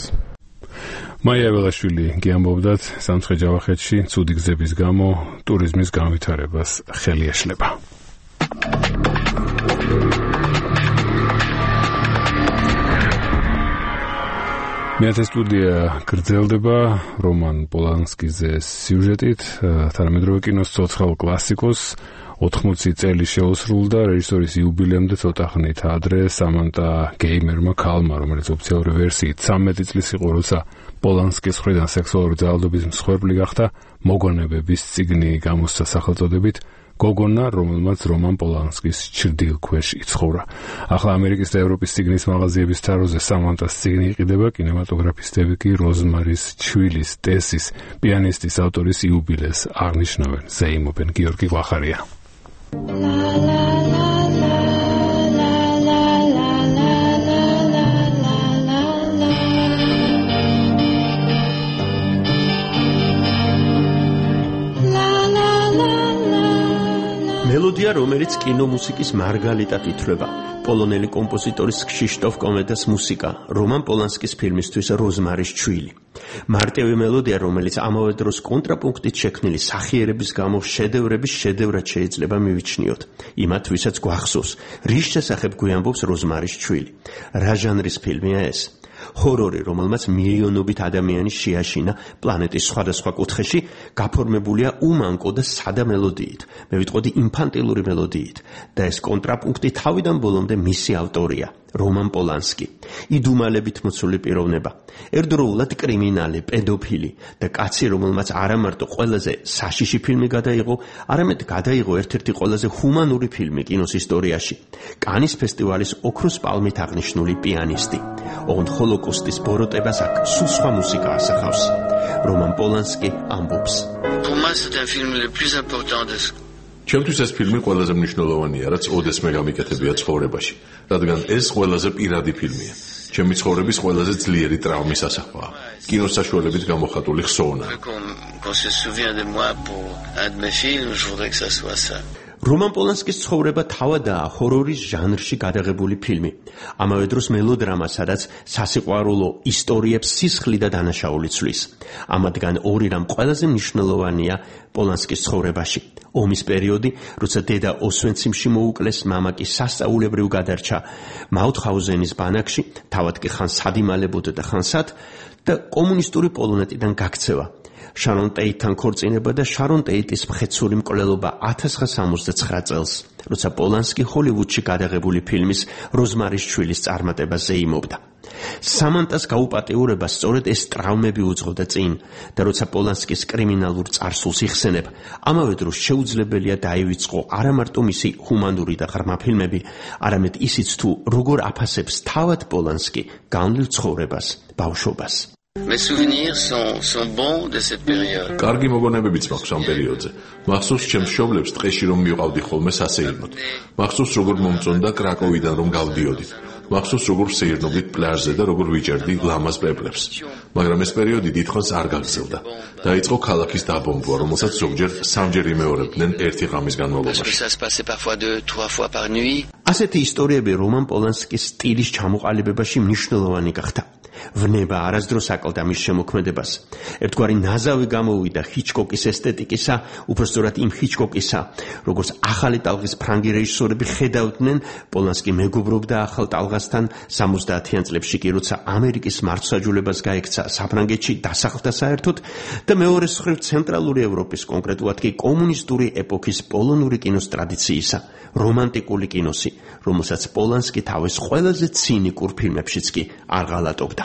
[SPEAKER 1] მაია ველაშვილი გიამბობდათ, სამცხე-ჯავახეთში ცუდი გზების გამო ტურიზმის განვითარებას ხელი ეშლება. მეათე სტუდია გრძელდება რომან პოლანსკიზე სიუჟეტით, თანამედროვე კინოს ცოცხალ კლასიკოს 80 წელი შეუსრულდა რეჟისორის იუბილეამდე ცოტა ხნით ადრე სამანტა გეიმერმა ქალმა, რომელიც ოფიციალური ვერსიით 13 წლის იყო, როცა პოლანსკის მხრიდან სექსუალური ძალადობის მსხვერპლი გახდა, მოგონებების წიგნი გამოსცა სახელწოდებით გოგონა, რომელმაც რომან პოლანსკის ჩრდილქვეშ იცხოვრა. ახლა ამერიკის და ევროპის წიგნის მაღაზიების თაროზე სამანტას წიგნი იყიდება, კინემატოგრაფისტები კი როზმარის ჩვილის, ტესის, პიანისტის ავტორის იუბილეს აღნიშნავენ. ზეიმობენ გიორგი ღვახარია.
[SPEAKER 13] მელოდია, რომელიც კინომუსიკის მარგალიტად ითვლება. პოლონელი კომპოზიტორის ქსიშტოფ კომედას მუსიკა, რომან პოლანსკის ფილმისთვის როზმარის ჩვილი. მარტივი მელოდია, რომელიც ამავე დროს კონტრაპუნქტით შექმნილი სახიერების გამო შედევრების შედევრად შეიძლება მივიჩნიოთ. იმათ, ვისაც გვახსოვს, რის შესახებ გვიამბობს როზმარის ჩვილი. რა ჟანრის ფილმია ეს? ჰორორი, რომელმაც მილიონობით ადამიანი შეაშინა პლანეტის სხვადასხვა კუთხეში, გაფორმებულია უმანკო და სადა მელოდიით, მე ვიტყოდი ინფანტილური მელოდიით, და ეს კონტრაპუნქტი თავიდან ბოლომდე მისი ავტორია, რომან პოლანსკი. იდუმალებით მოცული პიროვნება, ერთდროულად კრიმინალი, პედოფილი და კაცი, რომელმაც არა მარტო ყველაზე საშიში ფილმი გადაიღო, არამედ გადაიღო ერთ-ერთი ყველაზე ჰუმანური ფილმი კინოს ისტორიაში, კანის ფესტივალის ოქროს პალმით აღნიშნული პიანისტი. ოღონდ ჰოლოკოსტის ბოროტებას აქ სულ სხვა მუსიკა ასახავს. რომან პოლანსკი ამბობს.
[SPEAKER 5] ჩემთვის ეს ფილმი ყველაზე მნიშვნელოვანია, რაც ოდესმე გამიკეთებია ცხოვრებაში, რადგან ეს ყველაზე პირადი ფილმია. ჩემი ცხოვრების ყველაზე ძლიერი ტრავმის ასახვაა. კინოს საშუალებით გამოხატული ხსოვნა.
[SPEAKER 13] რომან პოლანსკის ცხოვრება თავადაა ჰორორის ჟანრში გადაღებული ფილმი. ამავე დროს მელოდრამა, სადაც სასიყვარულო ისტორიებს სისხლი და დანაშაული ცვლის. ამათგან ორი რამ ყველაზე მნიშვნელოვანია პოლანსკის ცხოვრებაში. ომის პერიოდი, როცა დედა ოსვენციმში მოუკლეს, მამა კი სასწაულებრივ გადარჩა მაუთჰაუზენის ბანაკში, თავად კი ხან სადიმალებოდ და ხან სად და კომუნისტური პოლონეთიდან გაქცევა. შარონ ტეიტთან ქორწინება და შარონ ტეიტის მხეცური მკვლელობა 1969 წელს, როცა პოლანსკი ჰოლივუდში გადაღებული ფილმის როზმარის შვილის წარმატებაზე იმობდა. სამანტას გაუპატიურება სწორედ ეს ტრავმები უძღოდა წინ და როცა პოლანსკის კრიმინალურ წარსულს იხსენებ, ამავე დროს შეუძლებელია დაივიწყო არა მარტო მისი ჰუმანური და ღრმა ფილმები, არამედ ისიც თუ როგორ აფასებს თავად პოლანსკი განვლილ ცხოვრებას, ბავშვობას.
[SPEAKER 14] Mes souvenirs sont bons de cette période.
[SPEAKER 5] კარგი მოგონებებიც მაქვს ამ პერიოდზე. მახსოვს ჩემს მშობლებს ტყეში რომ მივყავდი ხოლმე სასეირნოდ. მახსოვს როგორ მომწონდა კრაკოვიდან რომ გავდიოდით. მახსოვს როგორ ვსეირნობდით პლაჟზე და როგორ ვიჭერდი ლამაზ პეპლებს. მაგრამ ეს პერიოდი დიდხანს არ გაგრძელდა. დაიწყო ქალაქის დაბომბვა, რომელსაც ზოგჯერ სამჯერ იმეორებდნენ ერთი ღამის განმავლობაში.
[SPEAKER 13] ასეთი ისტორიები რომან პოლანსკის სტილის ჩამოყალიბებაში მნიშვნელოვანი გახდა. ვნება არასდროს აკლდა მის შემოქმედებას. ერთგვარი ნაზავი გამოვიდა ჰიჩკოკის ესთეტიკისა, უпростоრად იმ ჰიჩკოკისა, როგორც ახალი ტალღის ფრანგი რეჟისორები ხედავდნენ, პოლანსკი მეგობრობდა ახალ ტალღასთან 70-იან წლებში კი როცა ამერიკის მართლმსაჯულებას გაექცა საფრანგეთში დასახლდა საერთოდ და მეორე მხრივ ცენტრალური ევროპის, კონკრეტულად კი კომუნისტური ეპოქის პოლონური კინოს ტრადიციისა, რომანტიკული კინოსი, რომელსაც პოლანსკი თავის ყველაზე ცინიკურ ფილმებშიც კი არ ღალატობდა.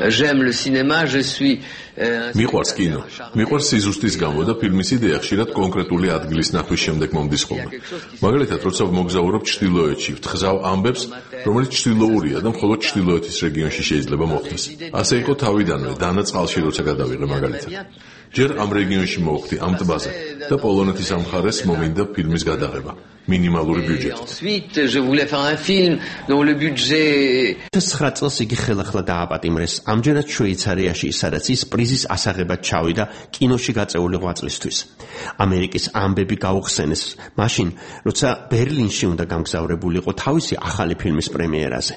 [SPEAKER 14] J'aime le cinéma, je suis
[SPEAKER 5] მიყვარს კინო. მიყვარს სიზუსტის გამო და ფილმის იდეა ხშირად კონკრეტული ადგილის ნახვის შემდეგ მომდის ხოლმე. მაგალითად, როცა მოგზაურობ ჩრდილოეთში, ვთხზავ ამბებს, რომელიც ჩრდილოურია და მხოლოდ ჩრდილოეთის რეგიონში შეიძლება მოხდეს. ასე იყო თავიდანვე, დანა წყალში როცა გადავიღე მაგალითად. ჯერ ამ რეგიონში მოვხდი ამ ტბაზე და პოლონეთის ამ მხარეს მომინდა ფილმის გადაღება. მინიმალური ბიუჯეტით.
[SPEAKER 14] Ensuite, je voulais faire un film dont le budget
[SPEAKER 13] 9 წელს იგი ხელახლა დააპატიმრეს ამჯერად შვეიცარიაში, სადაც ის პრიზის ასაღებად ჩავიდა კინოში გაწეული ღვაწლისთვის. ამერიკის ამბები გაუხსენეს მაშინ, როცა ბერლინში უნდა გამგზავრებულიყო თავისი ახალი ფილმის პრემიერაზე.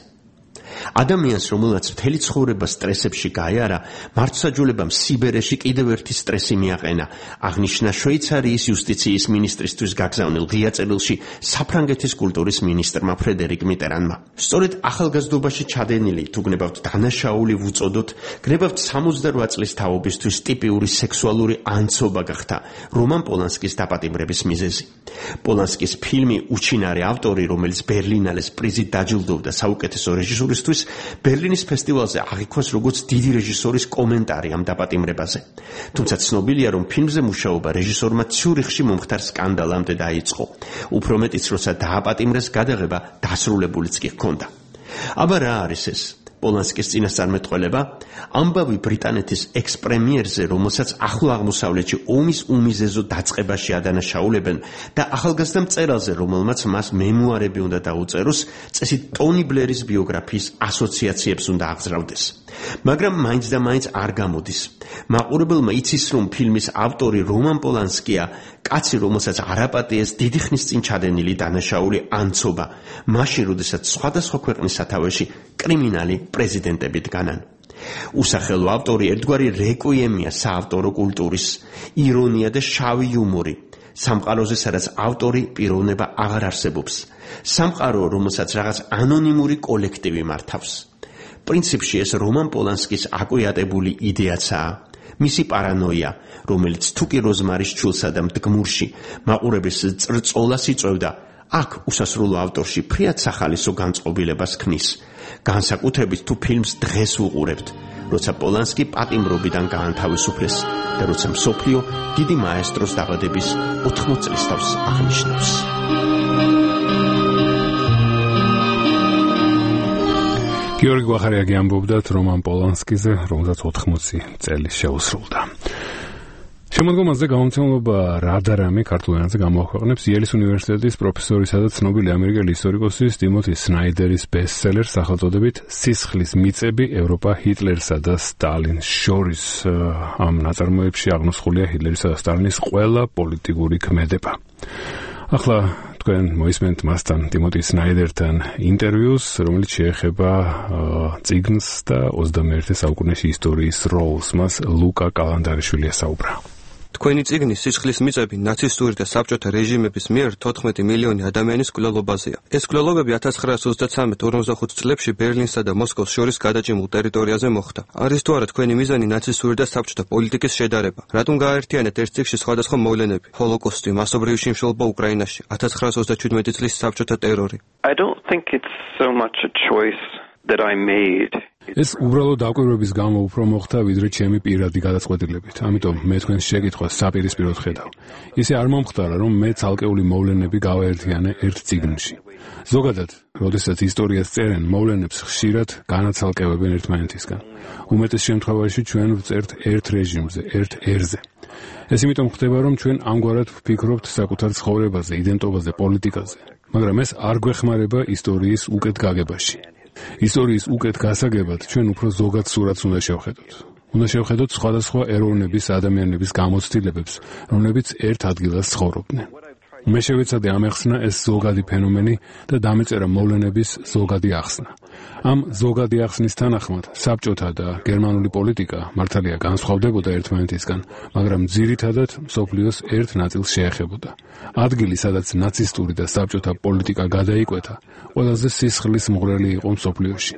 [SPEAKER 13] ადამიანს, რომელსაც მთელი ცხოვრება სტრესებში გაიარა, მართლმსაჯულებამ სიბერეში კიდევ ერთი სტრესი მიაყენა. აღნიშნა შვეიცარიის იუსტიციის მინისტრისთვის გაგზავნილ ღია წერილში საფრანგეთის კულტურის მინისტრმა ფრედერიკ მიტერანმა. სწორედ ახალგაზრდობაში ჩადენილი, თუ გნებავთ დანაშაული ვუწოდოთ, გნებავთ 68 წლის თაობისთვის ტიპიური სექსუალური ანცობა გახდა რომან პოლანსკის დაპატიმრების მიზეზი. პოლანსკის ფილმი უჩინარი ავტორი, რომელიც ბერლინალეს პრიზით დაჯილდოვდა საუკეთესო რეჟისურისთვის, ბერლინის ფესტივალზე აღიქვას როგორც დიდი რეჟისორის კომენტარი ამ დაპატიმრებაზე. თუმცა ცნობილია, რომ ფილმზე მუშაობა რეჟისორმა ციურიხში მომხდარ სკანდალამდე დაიწყო. უფრო მეტიც, როცა დააპატიმრეს, გადაღება დასრულებულიც კი ჰქონდა. აბა რა არის ეს? პოლანსკის წინასწარმეტყველება ამბავი ბრიტანეთის ექსპრემიერზე, რომელსაც ახლო აღმოსავლეთში ომის უმიზეზო დაწყებაში ადანაშაულებენ და ახალგაზრდა მწერალზე, რომელმაც მას მემუარები უნდა დაუწეროს, წესით ტონი ბლერის ბიოგრაფიის ასოციაციებს უნდა აღზრდდეს. მაგრამ მაინც და მაინც არ გამოდის. მაყურებელმა იცის, რომ ფილმის ავტორი რომან პოლანსკია, კაცი, რომელსაც არაპატიეს დიდი ხნის წინ ჩადენილი დანაშაული ანცობა, მაშინ, როდესაც სხვადასხვა ქვეყნის სათავეში კრიმინალი პრეზიდენტები დგანან. უსახელო ავტორი ერთგვარი რეკვიემია საავტორო კულტურის, ირონია და შავი იუმორი. სამყაროზე, სადაც ავტორი პიროვნება აღარ არსებობს. სამყარო, რომელსაც რაღაც ანონიმური კოლექტივი მართავს. პრინციპში ეს რომან პოლანსკის აკვიატებული იდეაცაა. მისი პარანოია, რომელიც თუკი როზმარის ჩულსა და მდგმურში მაყურებლის წრწოლას იწვევდა, აქ უსასრულო ავტორში ფრიად სახალისო განწყობილებას ქმნის. განსაკუთრებით თუ ფილმს დღეს უყურებთ, როცა პოლანსკი პატიმრობიდან გაანთავისუფლეს და როცა მსოფლიო დიდი მაესტროს დაბადების 80 წლისთავს აღნიშნავს.
[SPEAKER 1] გიორგი გვახარიაგი ამბობდა რომან პოლანსკიზე, რომელსაც 80 წელი შეუსრულდა. შემოდგომაზე გამომცემლობა რადარამი ქართულ ენაზე გამოაქვეყნებს იელის უნივერსიტეტის პროფესორისა და ცნობილი ამერიკელი ისტორიკოსის ტიმოთი სნაიდერის ბესტსელერს სახელწოდებით „სისხლის მიწები ევროპა ჰიტლერსა და სტალინს შორის“. ამ ნაწარმოებში აღნუსხულია ჰიტლერისა და სტალინის ყველა პოლიტიკური ქმედება. ახლა თქვენ მოისმენთ მასთან ტიმოტი სნაიდერთან ინტერვიუს, რომელიც შეეხება წიგნს და 21 საუკუნეში ისტორიის როლს. მას ლუკა კალანდარიშვილი ესაუბრა.
[SPEAKER 15] თქვენი წიგნი სისხლის მიწები ნაცისტური და საბჭოთა რეჟიმების მიერ 14 მილიონი ადამიანის მკვლელობაზეა. ეს მკვლელობები 1933-45 წლებში ბერლინსა და მოსკოვს შორის გადაჭიმულ ტერიტორიაზე მოხდა. არის თუ არა თქვენი მიზანი ნაცისტური და საბჭოთა პოლიტიკის შედარება? რატომ გააერთიანეთ ერთ წიგნში სხვადასხვა მოვლენები? ჰოლოკოსტი, მასობრივი შიმშილობა უკრაინაში, 1937 წლის საბჭოთა ტერორი.
[SPEAKER 16] I don't think it's so much a choice that I made.
[SPEAKER 1] ეს უბრალოდ დაკვირვების გამო უფრო მოხდა, ვიდრე ჩემი პირადი გადაწყვეტილებით. ამიტომ მე თქვენს შეკითხვას საპირისპიროდ ხედავ. ისე არ მომხდარა, რომ მე ცალკეული მოვლენები გავაერთიანე ერთ წიგნში. ზოგადად, როდესაც ისტორიას წერენ, მოვლენებს ხშირად განაცალკევებენ ერთმანეთისგან. უმეტეს შემთხვევაში ჩვენ ვწერთ ერთ რეჟიმზე, ერთ ერზე. ეს იმიტომ ხდება, რომ ჩვენ ამგვარად ვფიქრობთ საკუთარ ცხოვრებაზე, იდენტობაზე, პოლიტიკაზე. მაგრამ ეს არ გვეხმარება ისტორიის უკეთ გაგებაში. ისტორიის უკეთ გასაგებად ჩვენ უფრო ზოგად სურათს უნდა შევხედოთ. უნდა შევხედოთ სხვადასხვა ეროვნების ადამიანების გამოცდილებებს, რომლებიც ერთ ადგილას ცხოვრობდნენ. მე შევეცადე ამეხსნა ეს ზოგადი ფენომენი და დამეწერა მოვლენების ზოგადი ახსნა. ამ ზოგადი ახსნის თანახმად საბჭოთა და გერმანული პოლიტიკა მართალია განსხვავდებოდა ერთმანეთისგან, მაგრამ ძირითადად მსოფლიოს ერთ ნაწილს შეეხებოდა. ადგილი, სადაც ნაცისტური და საბჭოთა პოლიტიკა გადაიკვეთა, ყველაზე სისხლის მღვრელი იყო მსოფლიოში.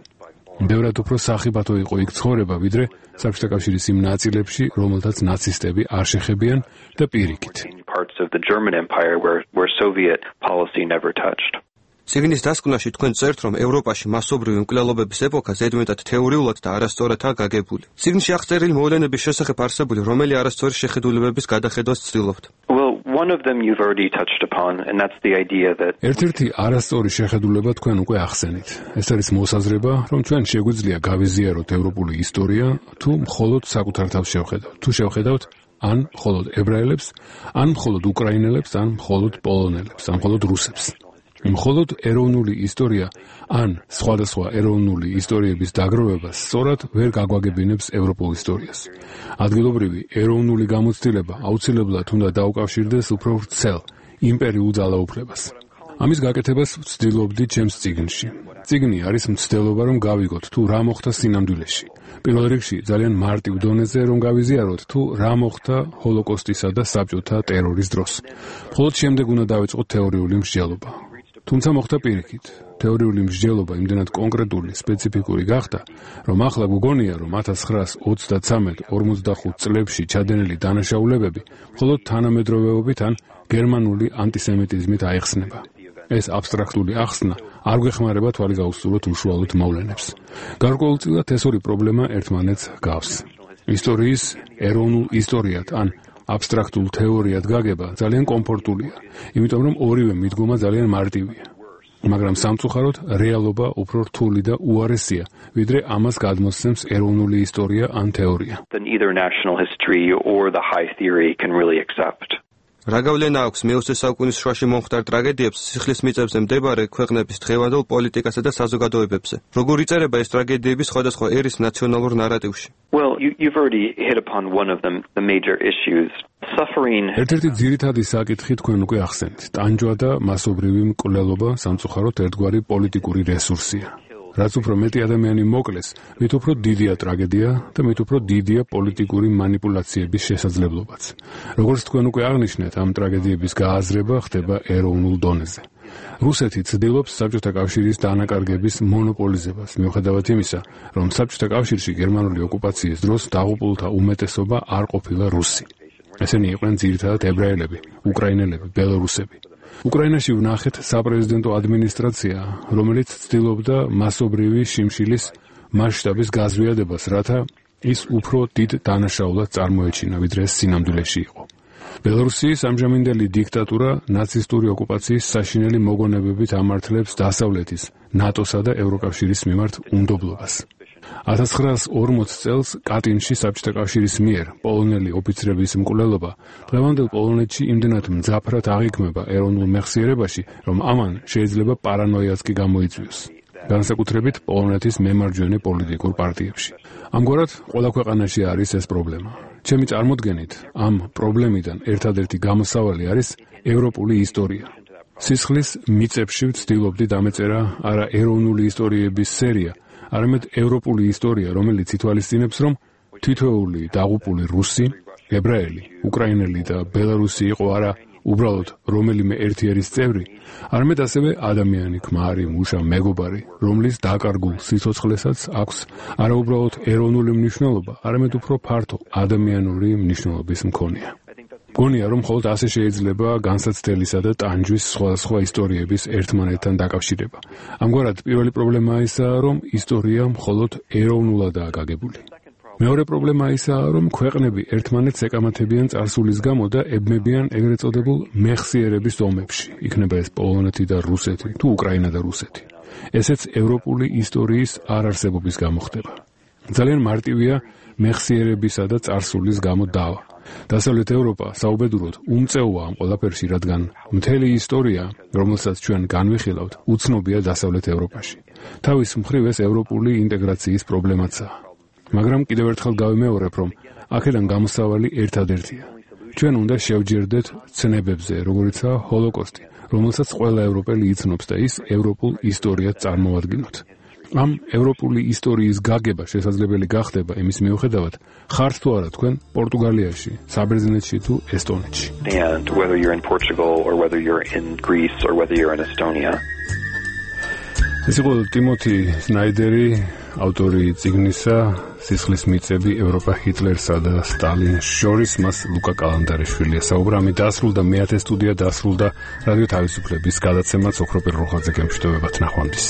[SPEAKER 1] ბევრად უფრო სახიფათო იყო იქ ცხოვრება, ვიდრე საბჭოთა კავშირის იმ ნაწილებში, რომელთაც ნაცისტები არ შეხებიან და პირიქით.
[SPEAKER 16] Parts of the German Empire where Soviet policy never touched.
[SPEAKER 15] წიგნის დასკვნაში თქვენ წერთ, რომ ევროპაში მასობრივი მკვლელობების ეპოქა ზედმეტად თეორიულად და არასწორადაა გაგებული. წიგნში აღწერილი მოვლენების შესახებ არსებული რომელი არასწორი შეხედულებების გადახედვას ცდილობთ?
[SPEAKER 16] Well, one of them you've already touched upon, and that's the idea that
[SPEAKER 1] ერთ-ერთი არასწორი შეხედულება თქვენ უკვე ახსენით. ეს არის მოსაზრება, რომ ჩვენ შეგვიძლია გავიზიაროთ ევროპული ისტორია, თუ მხოლოდ საკუთარ თავს შევხედავთ. თუ შევხედავთ ან მხოლოდ ებრაელებს, ან მხოლოდ უკრაინელებს, ან მხოლოდ პოლონელებს, ან მხოლოდ რუსებს. მხოლოდ ეროვნული ისტორია ან სხვადასხვა ეროვნული ისტორიების დაგროვება სწორად ვერ გაგვაგებინებს ევროპულ ისტორიას. ადგილობრივი ეროვნული გამოცდილება აუცილებლად უნდა დაუკავშირდეს უფრო ვრცელ იმპერიულ ძალაუფლებას. ამის გაკეთებას ვცდილობდი ჩემს წიგნში. წიგნი არის მცდელობა, რომ გავიგოთ, თუ რა მოხდა სინამდვილეში. პირველ რიგში ძალიან მარტივ დონეზე რომ გავიზიაროთ, თუ რა მოხდა ჰოლოკოსტისა და საბჭოთა ტერორის დროს. მხოლოდ შემდეგ უნდა დავიწყოთ თეორიული მსჯელობა. თუმცა მოხდა პირიქით. თეორიული მსჯელობა იმდენად კონკრეტული, სპეციფიკური გახდა, რომ ახლა გგონია, რომ 1933-45 წლებში ჩადენილი დანაშაულებები მხოლოდ თანამედროვეობით ან გერმანული ანტისემიტიზმით აიხსნება. ეს აბსტრაქტული ახსნა არ გვეხმარება თვალი გაუსწროთ უშუალოდ მოვლენებს. გარკვეულწილად ეს ორი პრობლემა ერთმანეთს გავს. ისტორიის ეროვნულ ისტორიად ან აბსტრაქტულ თეორიად გაგება ძალიან კომფორტულია, იმიტომ რომ ორივე მიდგომა ძალიან მარტივია. მაგრამ სამწუხაროდ რეალობა უფრო რთული და უარესია, ვიდრე ამას გადმოსცემს ეროვნული ისტორია ან თეორია.
[SPEAKER 16] Then either national history or the high theory can really accept.
[SPEAKER 15] რა გავლენა აქვს მე-20 საუკუნის შუაში მომხდარ ტრაგედიებს სისხლის მიწებზე მდებარე ქვეყნების დღევანდელ პოლიტიკასა და საზოგადოებებზე? როგორ იწერება ეს ტრაგედიები სხვადასხვა ერის ნაციონალურ ნარატივში?
[SPEAKER 16] Well, you've already hit upon one of them, the major issues. Suffering.
[SPEAKER 1] ერთ-ერთი ძირითადი საკითხი თქვენ უკვე ახსენეთ. ტანჯვა და მასობრივი მკვლელობა სამწუხაროდ ერთგვარი პოლიტიკური რესურსია. რაც უფრო მეტი ადამიანი მოკლეს, მით უფრო დიდია ტრაგედია და მით უფრო დიდია პოლიტიკური манипуляციების შესაძლებლობაც. როგორც თქვენ უკვე აღნიშნეთ, ამ ტრაგედიების გააზრება ხდება ეროვნულ დონეზე. რუსეთი ცდილობს საბჭოთა კავშირის დანაკარგების მონოპოლიზებას, მიუხედავად იმისა, რომ საბჭოთა კავშირში გერმანული ოკუპაციის დროს დაღუპულთა უმეტესობა არ ყოფილა რუსი. ესენი იყვნენ ძირითადად ებრაელები, უკრაინელები, ბელორუსები. უკრაინაში ვნახეთ საპრეზიდენტო ადმინისტრაცია, რომელიც ცდილობდა მასობრივი შიმშილის მასშტაბის გაზვიადებას, რათა ის უფრო დიდ დანაშაულად წარმოეჩინა, ვიდრე ეს სინამდვილეში იყო. ბელორუსიის ამჟამინდელი დიქტატურა ნაცისტური ოკუპაციის საშინელი მოგონებებით ამართლებს დასავლეთის, ნატოსა და ევროკავშირის მიმართ უნდობლობას. 1940 წელს კატინში საბჭოთა კავშირის მიერ პოლონელი ოფიცრების მკვლელობა დღევანდელ პოლონეთში იმდენად მძაფრად აღიქმება ეროვნულ მეხსიერებაში, რომ ამან შეიძლება პარანოიაც კი გამოიწვიოს. განსაკუთრებით პოლონეთის მემარჯვენე პოლიტიკურ პარტიებში. ამგვარად, ყველა ქვეყანაში არის ეს პრობლემა. ჩემი წარმოდგენით, ამ პრობლემიდან ერთადერთი გამოსავალი არის ევროპული ისტორია. სისხლის მიწებში ვცდილობდი დამეწერა არა ეროვნული ისტორიების სერია, არამედ ევროპული ისტორია, რომელიც ითვალისწინებს, რომ თითოეული დაღუპული რუსი, ებრაელი, უკრაინელი და ბელარუსი იყო არა უბრალოდ რომელიმე ერთიერის წევრი, არამედ ასევე ადამიანი, ქმარი, მუშა, მეგობარი, რომლის დაკარგულ სიცოცხლესაც აქვს არა უბრალოდ ეროვნული მნიშვნელობა, არამედ უფრო ფართო ადამიანური მნიშვნელობის მქონეა. მგონია, რომ მხოლოდ ასე შეიძლება განსაცდელისა და ტანჯვის სხვადასხვა ისტორიების ერთმანეთთან დაკავშირება. ამგვარად, პირველი პრობლემაა ისაა, რომ ისტორია მხოლოდ ეროვნულადაა გაგებული. მეორე პრობლემა ისაა, რომ ქვეყნები ერთმანეთს ეკამათებიან წარსულის გამო და ებმებიან ეგრეთ წოდებულ მეხსიერების ომებში, იქნება ეს პოლონეთი და რუსეთი, თუ უკრაინა და რუსეთი. ესეც ევროპული ისტორიის არარსებობის გამო ხდება. ძალიან მარტივია მეხსიერებისა და წარსულის გამო დავა. დასავლეთ ევროპა საუბედუროდ უმწეოა ამ ყველაფერში, რადგან მთელი ისტორია, რომელსაც ჩვენ განვიხილავთ, უცნობია დასავლეთ ევროპაში. თავის მხრივ ეს ევროპული ინტეგრაციის პრობლემაცაა. მაგრამ კიდევ ერთხელ გავიმეორებ, რომ აქედან გამოსავალი ერთადერთია. ჩვენ უნდა შევჯერდეთ ცნებებზე, როგორიცაა ჰოლოკოსტი, რომელსაც ყველა ევროპელი იცნობს და ის ევროპულ ისტორიად წარმოვადგინოთ. ამ ევროპული ისტორიის გაგება შესაძლებელი გახდება იმის მიუხედავად, ხართ თუ არა თქვენ პორტუგალიაში, საბერძნეთში თუ ესტონეთში.
[SPEAKER 16] And whether you're in Portugal or whether you're in Greece or whether you're in Estonia.
[SPEAKER 1] ეს იყო ტიმოთი სნაიდერი, ავტორი წიგნისა სისხლის მიწები ევროპა ჰიტლერსა და სტალინს შორის, მას ლუკა კალანდარეშვილია საუბრა. ამით დასრულდა მე-10 სტუდია, დასრულდა რადიო თავისუფლების გადაცემაც ოქროპირ რუხაძე გემშვიდობებათ, ნახვამდის.